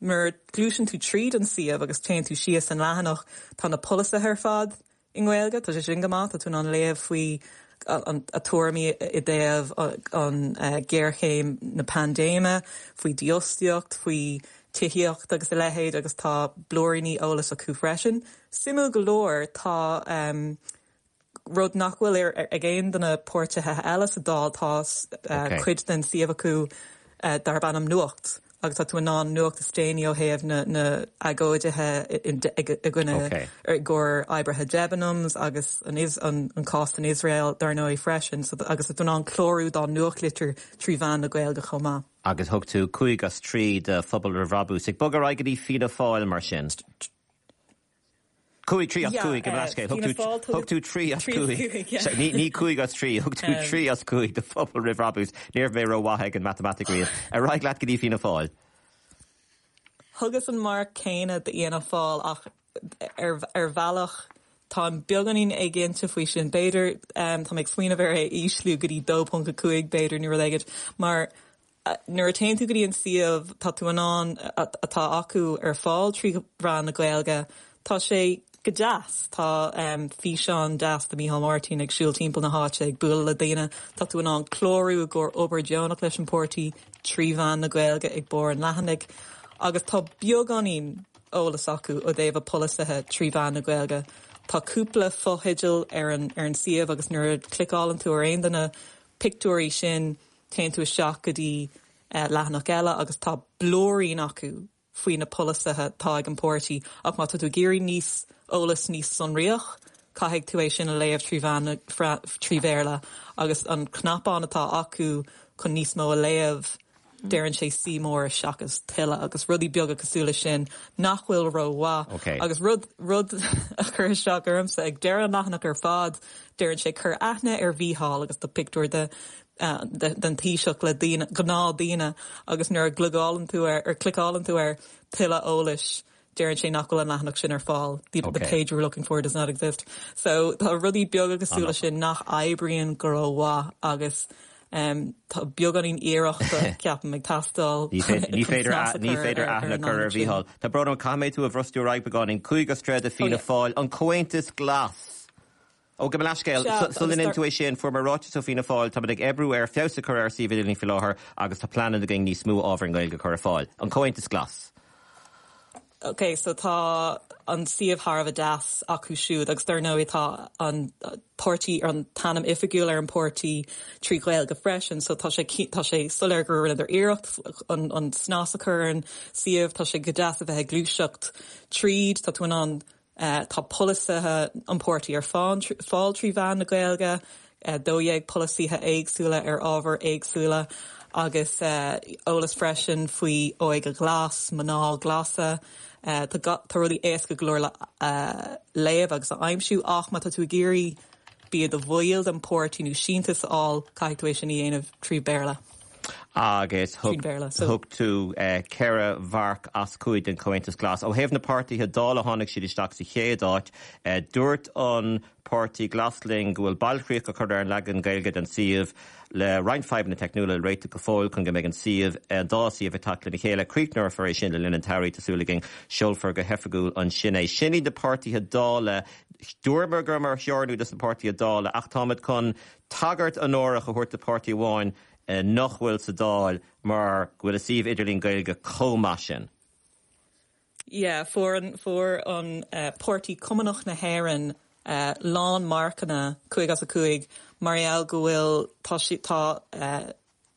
nuair a ghluaiseann tú tríd an suíomh agus téann tú síos an leathanach, tá na polasaithe ar fad i nGaeilge, tá sé sin go maith, tá tú in ann léamh faoi a tuairimí i dtaobh an ghéarchéim na paindéime, faoi dífhostaíocht, faoi tithíocht agus a leithéid agus tá blúiríní eolais acu freisin. Suimiúil go leor, tá rud nach bhfuil ag aon de na páirtithe eile sa Dáil, tá cuid den suíomh acu darb ainm Nuacht. agus tá tú in ann nuacht is déanaí ó thaobh na na agóidithe i gcoinne i gcomhair oibrithe Debenhams agus an an cás san Iosrael dar ndóigh freisin so agus tá tú in ann clárú dá nuachtlitir trí mheán na Gaeilge chomh maith. Agus thug tú 5 as 3 do Phobal Roimh Bhrabús. Ag bogadh ar aghaidh go dtí Fianna Fáil mar sin. 5, 3 as 5 gabh mo leithscéal. Thug tú 3 as 5. Ní 5 as 3, thug tú 3 as 5 do Phobal Roimh Bhrabús. Ní raibh mé rómhaith ag an matamaitic riamh. Ar aghaidh leat go dtí Fianna Fáil. Thugas an marc céanna d'Fhianna Fáil ach ar bhealach táim beagáinín éiginnte faoi sin. B'fhéidir, tá mé ag smaoineamh ar é a ísliú go dtí 2.5 b'fhéidir nó rud éigin mar Nuair a téann tú go dtí an suíomh, tá tú in ann, atá acu ar fáil trí mheán na Gaeilge, tá sé go deas. Tá físeán deas de Micheál Martin ag siúl timpeall na háite ag bualadh le daoine. Tá tú in ann clárú i gcomhair obair deonach leis an páirtí trí mheán na Gaeilge ag barr an leathanaigh. Agus tá beagáinín eolas acu ó dtaobh a polasaithe trí mheán na Gaeilge. Tá cúpla fotheideal ar an ar an suíomh agus nuair a chliceálann tú ar aon de na pictiúirí sin, Téann tú isteach go dtí leathanach eile agus tá blúirín acu faoi na polasaithe atá ag an páirtí ach má tá tú ag iarraidh níos eolas níos sonraíoch caithfidh tú é sin a léamh trí mheán na trí Bhéarla agus an cnapán atá acu chun níos mó a léamh deireann sé see more seachas tuilleadh agus rudaí beaga cosúil leis sin nach bhfuil rómhaith. Okay. Agus rud rud a chuir isteach ormsa ag deireadh an leathanach ar fad deireann sé cuir aithne ar Mhícheál agus tá pictiúr de den Taoiseach le daoine, gnáthdhaoine agus nuair a gliogálann tú ar, ar cliceálann tú ar tuilleadh eolais deireann sé nach bhfuil an leathanach sin ar fáil, the the page you're looking for does not exist. So tá rudaí beaga cosúil leis sin nach oibríonn go rómhaith agus tá beagáinín iarrachta ceapaim ag teastáil Ní féidir ní féidir aithne a chur ar Mhícheál. Tá brón orm caithfidh mé tú a bhrostú ar aghaidh beagáinín. 5 as 3 do Fianna Fáil, an Comhaontas Glas! Ó, gabh mo leithscéal, sula ndéanann tú é sin, fuair mé ráiteas ó Fianna Fáil, táimid ag oibriú ar feabhas a chur ar suíomh idirlín faoi láthair agus tá pleananna againn níos mó ábhar i nGaeilge a chur ar fáil. An Comhaontas Glas. Ok, so tá an suíomh thar a bheith deas acu siúd agus dar ndóigh tá an páirtí, an t-ainm oifigiúil ar an páirtí trí Ghaeilge freisin so tá sé, tá sé soiléir gur rinneadar iarracht an, an snas a chur ar an suíomh, tá sé go deas a bheith ag gluaiseacht tríd, tá tú in ann Tá polasaithe an pháirtí ar fáil trí mheán na Gaeilge, 12 polasaithe éagsúla ar ábhair éagsúla agus eolas freisin faoi óige ghlas, mná glasa. Tá rudaí éasca go leor le léamh agus a aimsiú ach má tá tú ag iarraidh bí i do bhaill den pháirtí nó síntiús a fháil, caithfidh tú é sin a dhéanamh trí Bhéarla. Agus thug tú 4 mharc as 5 don Chomhaontas Glas. Ó thaobh na páirtithe Dála tháinig siad isteach sa chéad áit. Dúirt an Páirtí Glas linn go bhfuil bailchríoch á cur ar an leagan Gaeilge den suíomh le roinnt fadhbanna teicniúla le réiteach go fóill chun go mbeidh an suíomh, an dá suíomh ag teacht lena chéile. Críochnófar é sin le linn an tsamhraidh, tá súil againn. Seolfar go hoifigiúil ansin é. Sin iad na páirtithe Dála. Dúramar go rabhamar ag teorannú dos na páirtithe Dála ach táimid chun tagairt onórach a thabhairt do pháirtí amháin nach bhfuil sa Dáil mar go bhfuil a suíomh idirlín Gaeilge chomh maith sin. Yeah, fuair an, fuair an Páirtí Cumannach na hÉireann lán marcanna, 5 as 5, mar gheall go bhfuil, tá sí, tá,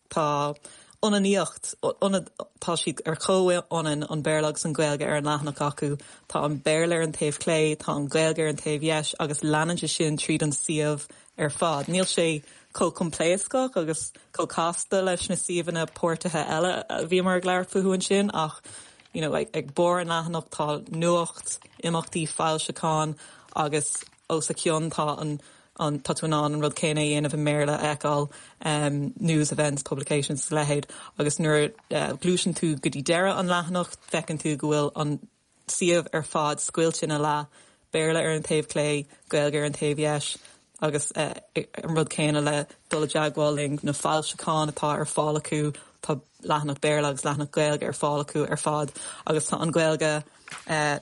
tá ionannaíocht, ionad, tá siad ar chomhionann, an Béarla agus an Ghaeilge ar an leathanach acu. Tá an Béarla ar an taobh clé, tá an Ghaeilge ar an taobh dheis agus leanann sé sin tríd an suíomh ar fad. Níl sé chomh coimpléascach agus chomh casta leis na suíomhanna páirtithe eile a bhíomar ag labhairt fúthu ansin ach you know ag barr an leathanach tá nuacht, imeachtaí, foilseacháin agus os a chionn tá an an tá tú in ann an rud céanna a dhéanamh i mBéarla a fheiceáil um news, events, publications is a leithéid agus nuair a ghluaiseann tú go dtí deireadh an leathanach feiceann tú go bhfuil an suíomh ar fad scoilte ina leath, Béarla ar an taobh clé, Gaeilge ar an taobh dheis agus an rud céanna le dul i dteagmháil linn, na foilseacháin atá ar fáil acu, tá leathanach Béarla agus leathanach Gaeilge ar fáil acu ar fad agus tá an Ghaeilge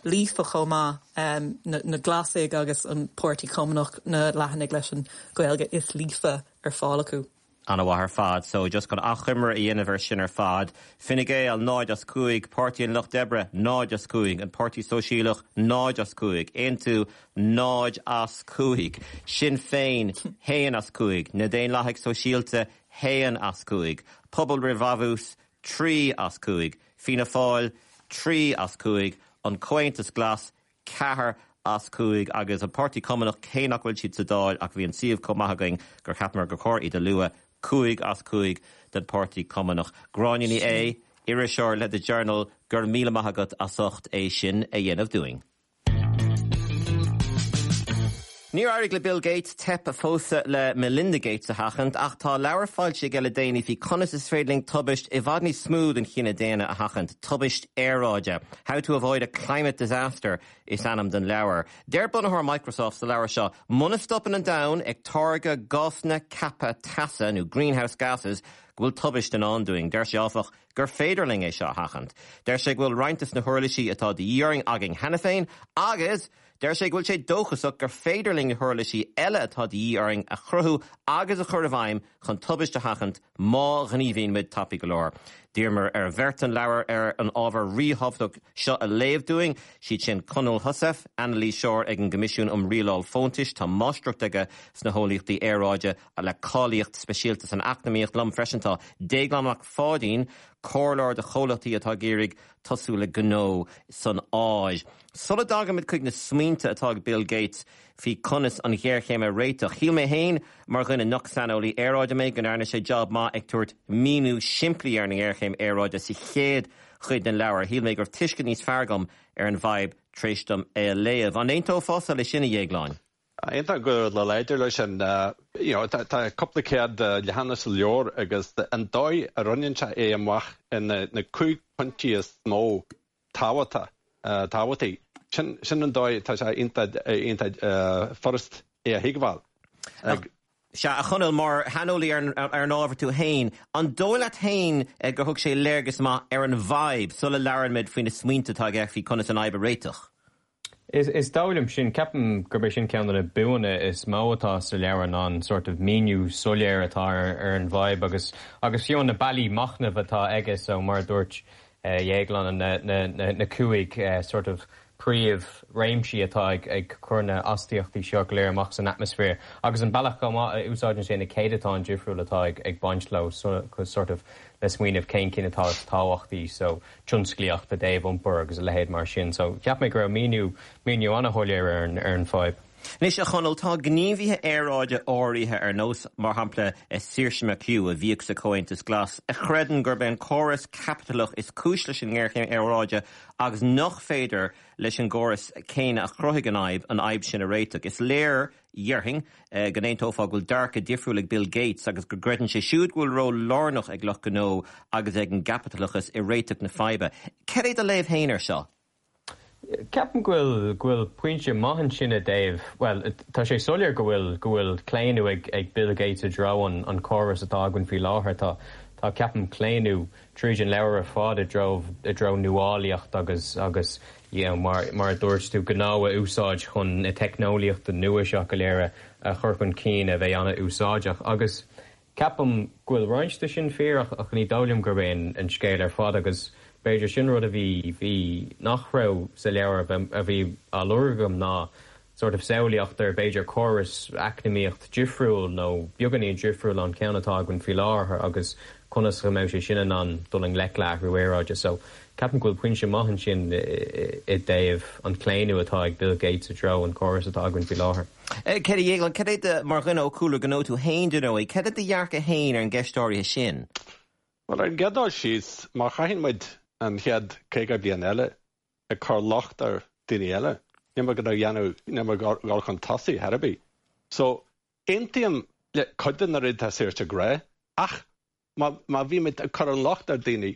líofa chomh maith, na Glasaigh agus an Páirtí Cumannach na leathanaigh leis an Ghaeilge is líofa ar fáil acu. An-mhaith ar fad. So, just chun achoimre a dhéanamh ar sin ar fad, Fine Gael, 0 as 5, Páirtí an Lucht Oibre, 0 as 5, An Páirtí Sóisialach, 0 as 5, Aontú, 0 as 5, Sinn Féin, 1 as 5, Na Daonlathaigh Sóisialta, 1 as 5, Pobal Roimh Bhrabús, 3 as 5, Fianna Fáil, 3 as 5, An Comhaontas Glas, 4 as 5 agus an Páirtí Cumannach, cé nach bhfuil siad sa Dáil ach bhí an suíomh chomh maith againn gur cheapamar gur chóir iad a lua, 5 as 5 don Páirtí Cumannach. Gráinne Ní Aodha, iriseoir le The Journal, go raibh míle maith agat as ucht é sin a dhéanamh dúinn. Níor éirigh le Bill Gates teip a phósadh le Melinda Gates a sheachaint ach tá leabhar foilsithe aige le déanaí faoi conas is féidir linn tubaist i bhfad níos mó don chine daonna a sheachaint, tubaist aeráide. How to Avoid a Climate Disaster is ainm don leabhar. Deir bunaitheoir Microsoft sa leabhar seo, muna stopann an domhan ag táirgeadh gásanna ceaptha teasa nó greenhouse gases go bhfuil tubaist i ndán dúinn. Deir sé áfach gur féidir linn é seo a sheachaint. Deir sé go bhfuil roinnt des na huirlisí atá de dhíth orainn againn cheana féin agus Deir sé go bhfuil sé dóchasach gur féidir linn na huirlisí eile atá de dhíth orainn a chruthú agus a chur i bhfeidhm chun tubaist a sheachaint má ghníomhaíonn muid tapaidh go leor. D'iarramar ar bheirt an leabhar ar an ábhar ríthábhachtach seo a léamh dúinn, siad sin Conall Heussaff, anailíseoir ag an gCoimisiún um Rialáil Fóntais, tá máistreacht aige sna heolaíochtaí aeráide le cáilíocht speisialta san eacnamaíocht. Liom freisin tá Déaglán Mac Pháidín, comhairleoir do chomhlachtaí atá ag iarraidh tosú le gnó san Áis. Sula dtagaimid chuig na smaointe atá ag Bill Gates faoi conas an ghéarchéim a réiteach, shíl mé féin, mar dhuine nach saineolaí aeráide mé, go ndearna sé jab maith ag tabhairt míniú simplí ar an ngéarchéim aeráide sa chéad chuid den leabhar. Shíl mé go raibh tuiscint níos fearr agam ar an bhfadhb tar éis dom é a léamh. An aontófása leis sin, a Dhéagláin? Aontaím go láidir leis sin. You know, tá cúpla céad leathanach sa leabhar agus an dóigh a roinneann sé é amach ina na 5 pointí is mó tábhachta, tábhachtaí, sin, sin an dóigh tá sé iontach, iontach furast é a thuigbheáil. Sea, a Chonaill, mar shaineolaí ar an ábhar tú féin, an dóigh leat féin gur thug sé léargas maith ar an bhfadhb sula labhraímid faoi na smaointe atá aige faoi conas an fhadhb a réiteach? Is dóigh liom sin. Ceapaim gurb é sin ceann de na buanna is mó atá sa leabhar ná an sort of míniú soiléir atá ar an bhfadhb agus agus fiú na bealaí machnaimh atá aige so mar a dúirt Déaglán na 5 sort of príomh réimsí atá ag cur na astaíochtaí seo go léir amach san atmaisféar agus an bealach chomh maith a úsáideann sé na céadatáin difriúil atá ag baint leo sort of le smaoineamh cén cinn atá is tábhachtaí so tionsclaíocht i dtaobh iompair agus a leithéid mar sin. So cheap mé go raibh míniú, míniú an-shoiléir ar an, ar an fadhb. Anois, a Chonaill, tá gníomhaithe aeráide áirithe ar nós, mar shampla, Saoirse McHugh, a bhíodh sa Chomhaontas Glas, a chreideann gurb é an córas caipitleach is cúis leis an ngéarchéim aeráide agus nach féidir leis an gcóras céanna a chruthaigh an fhadhb, an fhadhb sin a réiteach. Is léir, dhéarfainn, go n-aontófá go bhfuil dearcadh difriúil ag Bill Gates agus go gcreideann sé siúd go bhfuil ról lárnach ag lucht gnó agus ag an gcaipitleachas i réiteach na faidhbe. Cad é do léamh féin air seo? Ceapaim go bhfuil go bhfuil pointe maith ansin i dtaobh, bhuel, tá sé soiléir go bhfuil go bhfuil claonadh ag ag Bill Gates i dtreo an an córas atá againn faoi láthair. Tá tá ceapaim claonadh tríd an leabhar ar fad i dtreo i dtreo nuálaíocht agus agus you know mar mar a dúirt tú gnó a úsáid chun na teicneolaíochta nua seo go léir a a chur chun cinn a bheidh an-úsáideach agus Ceapaim go bhfuil roinnt de sin fíor ach ní dóigh liom gurb é an scéal ar fad agus b'fhéidir sin rud a bhí, bhí, nach raibh sa leabhar a bhí á lorg agam ná sort of samhlaíocht ar b'fhéidir córas eacnamaíocht difriúil nó beagáinín difriúil ón ceann atá againn faoi láthair agus conas go mbeadh sé sin in ann dul i ngleic le athrú aeráide. So ceapaim go bhfuil pointe maith ansin i dtaobh an claonadh atá ag Bill Gates i dtreo an córas atá againn faoi láthair. Céard a Dhéagláin, cad é do, mar dhuine ó chúlra gnó tú féin, dar ndóigh, cad é do dhearcadh féin ar an gceist áirithe sin? Bhuel, ar an gcéad dul síos, má chaitheann muid an chéad 50 bliain eile ag cur locht ar daoine eile, níl muid gonna dhéanamh, níl muid ag dul chun tosaigh ar bith. So, aontaím le cuid de na rudaí atá Saoirse ag rá, ach má, má bhímid ag cur an locht ar daoine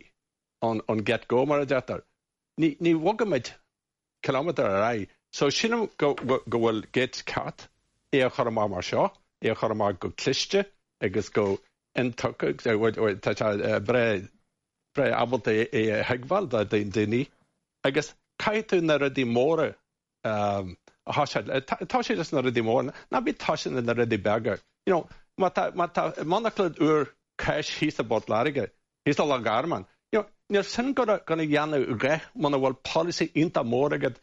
ón, ón get go, mar a deirtear, ní, ní bhogfaimid kilometre ar aghaidh. So sílim go bhfuil Gates ceart é a chur amach mar seo, é a chur amach go cliste agus go intuigthe, tá sé breá breá ábalta é a thuigbheáil do daoine agus caithfidh tú na rudaí móra a thoiseacht, toiseacht leis na rudaí móra, ná bí toiseacht leis na rudaí beaga. You know, má tá má tá monarchana úr cáis thíos i bPort Láirge, Thíos i Loch Garman. You know, níl sin gonna dhéanamh a dhath muna bhfuil polasaí iontach mór agat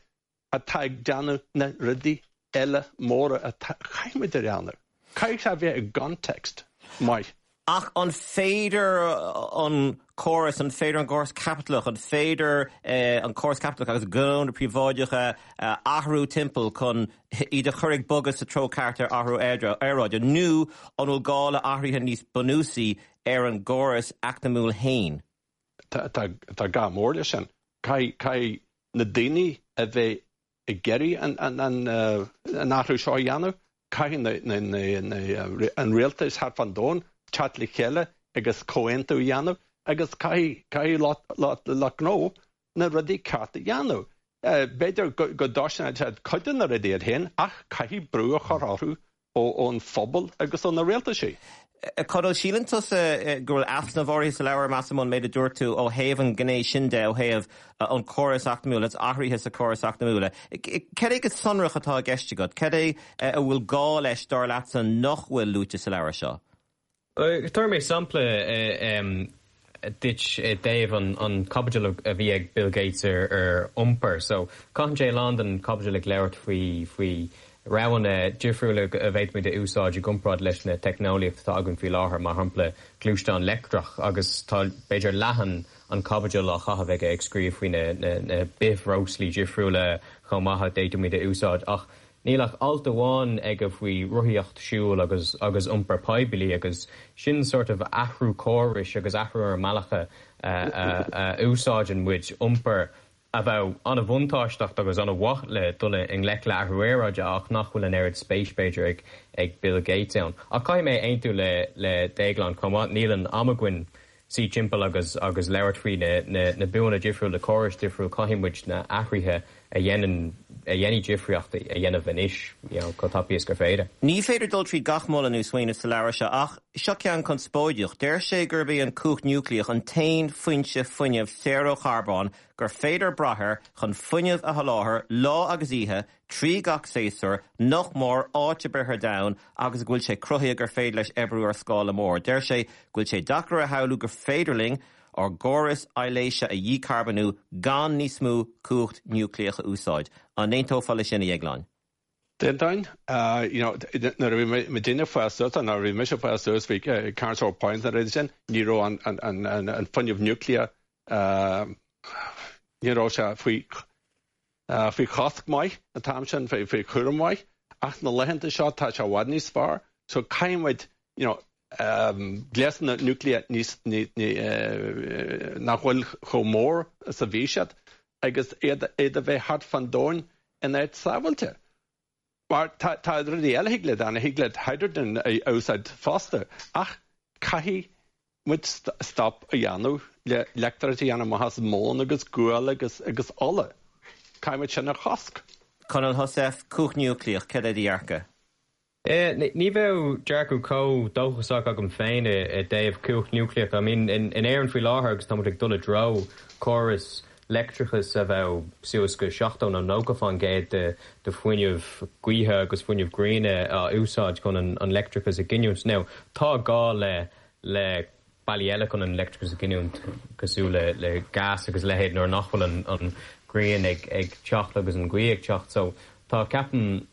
atá ag déanamh na rudaí eile móra atá chaithfidh muid a dhéanamh. Caithfidh sé a bheith i gcontext maith. Ach an féidir an córas, an féidir an córas caipitleach, an féidir an córas caipitleach agus gnónna príobháideacha a athrú timpeall chun iad a chur ag bogadh sa treo ceart ar athrú aeráide, nó an bhfuil gá le athruithe níos bunúsaí ar an gcóras eacnamúil féin. Tá gá mór leis sin. Caithfidh na daoine a bheith ag iarraidh an athrú seo a dhéanamh, caithfidh an rialtas thart fán domhan teacht le chéile agus comhaontú a dhéanamh agus caithfidh lucht gnó na rudaí ceart a dhéanamh. B'fhéidir go dtoisneoidh siad cuid de na rudaí iad féin ach caithfidh brú a chur orthu ón phobal agus ó na rialtaisí. A Chonaill, síleann tusa go bhfuil easnamh áirithe sa leabhar, measaim, ón méid a dúirt tú ó thaobh an ghné sin de, ó thaobh an córas eacnamúil agus athruithe sa chóras eacnamúil. Cad é go sonrach atá i gceist agat? Cad é a bhfuil gá leis, dar leatsa, nach bhfuil luaite sa leabhar seo? Tabharfaidh mé sampla duit i dtaobh an chaibidil a bhí ag Bill Gates ar iompar. So, caitheann sé a lán den chaibidil ag labhairt faoi faoi roghanna difriúla a bhféadfaimid a úsáid i gcomparáid leis na teicneolaíocht atá againn faoi láthair, mar shampla gluaisteán leictreach agus tá b'fhéidir leath an chaibidil á chaitheamh aige ag scríobh faoi na na bithbhreoslaí difriúla chomh maith a d'fhéadfaimid a úsáid ach Níl ach alt amháin aige faoi rothaíocht siúil agus agus iompar poiblí agus sin sort of athrú córais agus athrú ar an mbealach a a úsáideann muid iompar a bheadh an-bhuntáisteach agus an-mhaith le dul i ngleic le athrú aeráide ach nach bhfuil an oiread spéis b'fhéidir ag ag Bill Gates ann. Ach caithfidh mé aontú le le Déaglán chomh maith, níl an am againn suí timpeall agus agus labhairt faoi na na na buanna difriúla, na córais difriúil, caithfidh muid na athruithe a dhéanann a dhéanfaidh difríocht a dhéanamh anois you know chomh tapaidh is gur féidir. Ní féidir dul tríd gach moladh nó smaoineamh sa leabhar seo ach seo ceann conspóideach. Deir sé gurb í an cumhacht núicléach an t-aon foinse fuinnimh saor ó charbón gur féidir brath air chun fuinneamh a sholáthar lá agus oíche trí gach séasúr, nach mór, áit ar bith ar domhan agus go bhfuil sé cruthaithe gur féidir leis oibriú ar scála mór. Deir sé go bhfuil sé deacair a shamhlú gur féidir linn ár gcóras aibhléise a dhícharbónú gan níos mó cumhacht núicléach a úsáid. An aontófá leis sin, a Dhéagláin? D'aontóinn. You know, nuair a bhí muidinne ag fás suas, nuair a bhí mise ag fás suas, bhí Carnsore Point na rudaí sin, ní raibh an fuinneamh núicléach, ní raibh sé faoi faoi chosc maith an t-am sin, faoi chúram maith. Ach na laethanta seo tá sé i bhfad níos fearr so caithfidh muid you know gléasanna núicléach níos nach bhfuil chomh mór is a bhí siad agus iad iad a bheith thart fán domhan in áit sábháilte. Mar tá tá rudaí eile thig leat a dhéanamh, thig leat hydrogen a úsáid fosta ach caithfidh muid stop a dhéanamh le leictreachas a dhéanamh amach as móin agus gual agus agus ola. Caithfidh muid sin a chosc. Conall Heussaff, Cumhacht Núicléach, céard é do dhearcadh? Ní bheadh dearcadh chomh dóchasach agam féin i dtaobh cumhacht núicléach. I mean, in Éirinn faoi láthair agus tá muid ag dul i dtreo córas leictreachais a bheadh suas go 70 nó 90 fán gcéad de fuinneamh gaoithe agus fuinneamh gréine á úsáid chun an leictreachas a ghiniúint. Now, tá gá le le bealaí eile chun an leictreachas a ghiniúint cosúil le le gás agus a leithéid nuair nach bhfuil an an ghrian ag ag teacht agus an ghaoth ag teacht. So tá ceapaim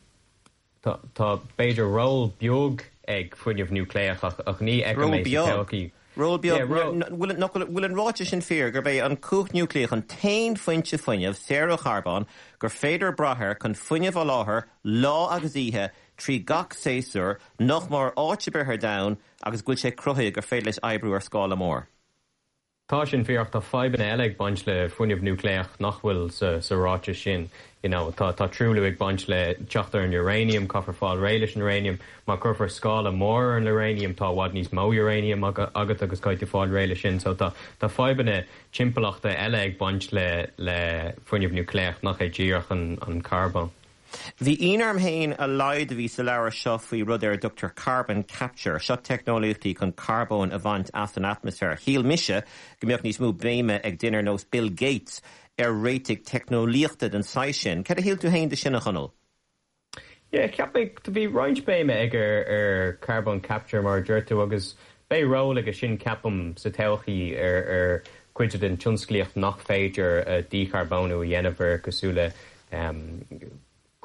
tá tá b'fhéidir ról beag ag fuinneamh núicléach ach ach ní fheicim Ról é sa beag. todhchaí. Ról beag. Yeah, ról. Bhfuil nach bhfuil bhfuil an ráiteas sin fíor gurb é an cumhacht núicléach an t-aon foinse fuinnimh saor ó charbón gur féidir brath air chun fuinneamh a sholáthar lá agus oíche trí gach séasúr nach mór áit ar bith ar domhan agus go bhfuil sé cruthaithe gur féidir leis oibriú ar scála mór. Tá sin fíor ach tá fadhbanna eile ag baint le fuinneamh núicléach nach bhfuil sa ráiteas sin. You know, tá tá truailliú ag baint le teacht ar an uranium, caithfear fáil réidh leis an uranium. Má chuirfear scála mór ar an uranium tá i bhfad níos mó uranium agat agus caithfidh tú fáil réidh leis sin. So tá tá fadhbanna timpeallachta eile ag baint le le fuinneamh núicléach nach é díreach an an carbón. Bhí ionadh orm féin a laghad a bhí sa leabhar seo faoi rud ar a dtugtar carbon capture. Seo teicneolaíochtaí chun carbón a bhaint as an atmaisféar. Shíl mise go mbeadh níos mó béime ag duine ar nós Bill Gates ar réitigh teicneolaíochta den saghas sin. Céard a shíl tú féin de sin, a Chonaill? Yeah, cheap mé, bhí roinnt béime aige ar carbon capture mar a deir tú agus beidh ról aige sin ceapaim sa todhchaí ar ar cuid den tionsclaíocht nach féidir dícharbónú a dhéanamh air cosúil le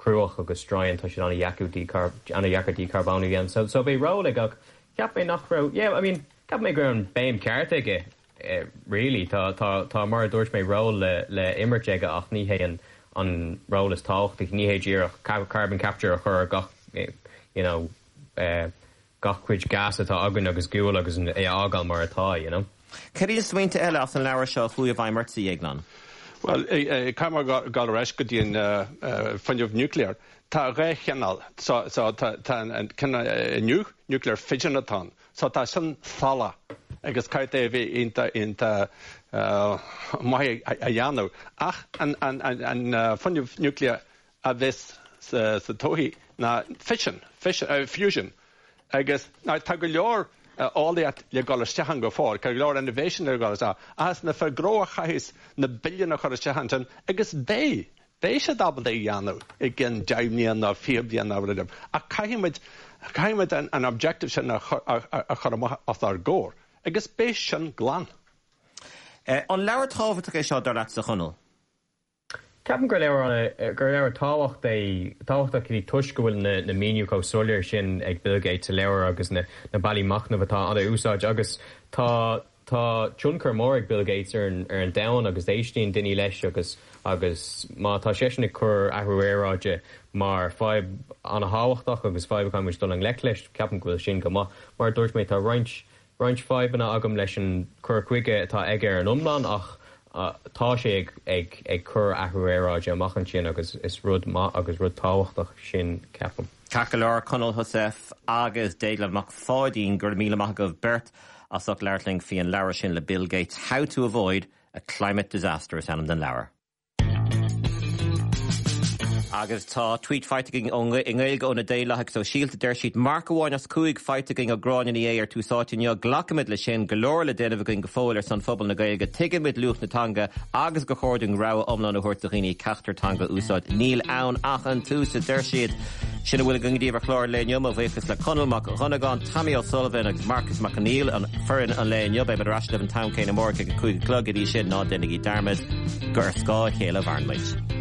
cruach agus stroighin, tá siad an-dheacair an-dheacair dícharbónú a dhéanamh. So, so beidh ról aige ach cheap mé nach raibh, yeah, I mean, cheap mé go raibh an béim ceart aige really. Tá, tá, tá mar a dúirt mé ról le, le imirt aige ach ní hé an, an ról is tábhachtaí, ní hé díreach carbon capture a chur ar gach, you know, gach cuid gas atá againn agus gual agus é a fhágáil mar atá, you know. Cad iad na smaointe eile as an leabhar seo a chuaigh i bhfeidhm ortsa, a Dhéagláin? Bhuel, caithfidh mé dul ar ais go dtí an fuinneamh nuclear. Tá dhá chineál. So, so tá tá an cineál inniu, nuclear fission atá ann. So tá sin salach agus caithfidh é a bheith iontach iontach maith a dhéanamh. Ach an an an fuinneamh nuclear a bheas sa todhchaí ná fission, fusion agus tá go leor eolaíocht le dul isteach ann go fóill, tá go leor innovation le dul isteach ach is na fir gnó a chaithfeas na billiúin a chur isteach ansin agus beidh, beidh siad ábalta é a dhéanamh i gcionn 10 mbliana nó 20 bliain nó rud ach caithfidh muid, caithfidh muid an objective sin a chur amach os ár gcomhair agus beidh sin glan. An leabhar tábhachtach é seo dar leatsa, a Chonaill? Ceapaim gur leabhar gur leabhar tábhacht é tábhachtach é toisc go bhfuil na na míniú chomh soiléir sin ag Bill Gates sa leabhar agus na na bealaí machnaimh atá á úsáid agus tá tá tionchar mór ag Bill Gates ar an ar an domhan agus éistíonn daoine leis agus agus má tá seisean ag cur athrú aeráide mar fadhb an-thábhachtach agus fadhb a chaithfidh muid dul i ngleic leis, ceapaim go bhfuil sin go maith. Mar a dúirt mé tá roinnt roinnt fadhbanna agam leis an cur chuige atá aige ar an iomlán ach tá sé ag ag ag cur athrú aeráide amach ansin agus is rud maith agus rud tábhachtach sin, ceapaim. Ceart go leor, Conall Heussaff agus Déaglán Mac Pháidín, go raibh míle maith agaibh beirt as ucht labhairt linn faoi an leabhar sin le Bill Gates, How to Avoid a Climate Disaster is ainm don leabhar. Agus tá tweet faighte againn ó i nGaeilge ó na Daonlathaigh Sóisialta. Deir siad, Marc amháin as 5 faighte againn ó Gráinne Ní Aodha ar Tús Áite inniu. Glacaimid leis sin. Go leor le déanamh againn go fóill ar son phobal na Gaeilge. Tuigimid luach na teanga agus gur chóir dúinn rogha iomlán a thabhairt do dhaoine ceachtar teanga a úsáid. Níl ann ach an tús, a deir siad. Sin a bhfuil againn daoibh ar chlár an lae inniu. Mo bhuíochas le Conall Mac Dhonnagáin, Tommy O'Sullivan agus Marcus Mac Conghail, an foireann an lae inniu. Beimid ar ais libh an t-am céanna amárach ag a 5 a chlog. Go dtí sin, ná déanaigí dearmad gur ar scáth a chéile a mhaireann muid.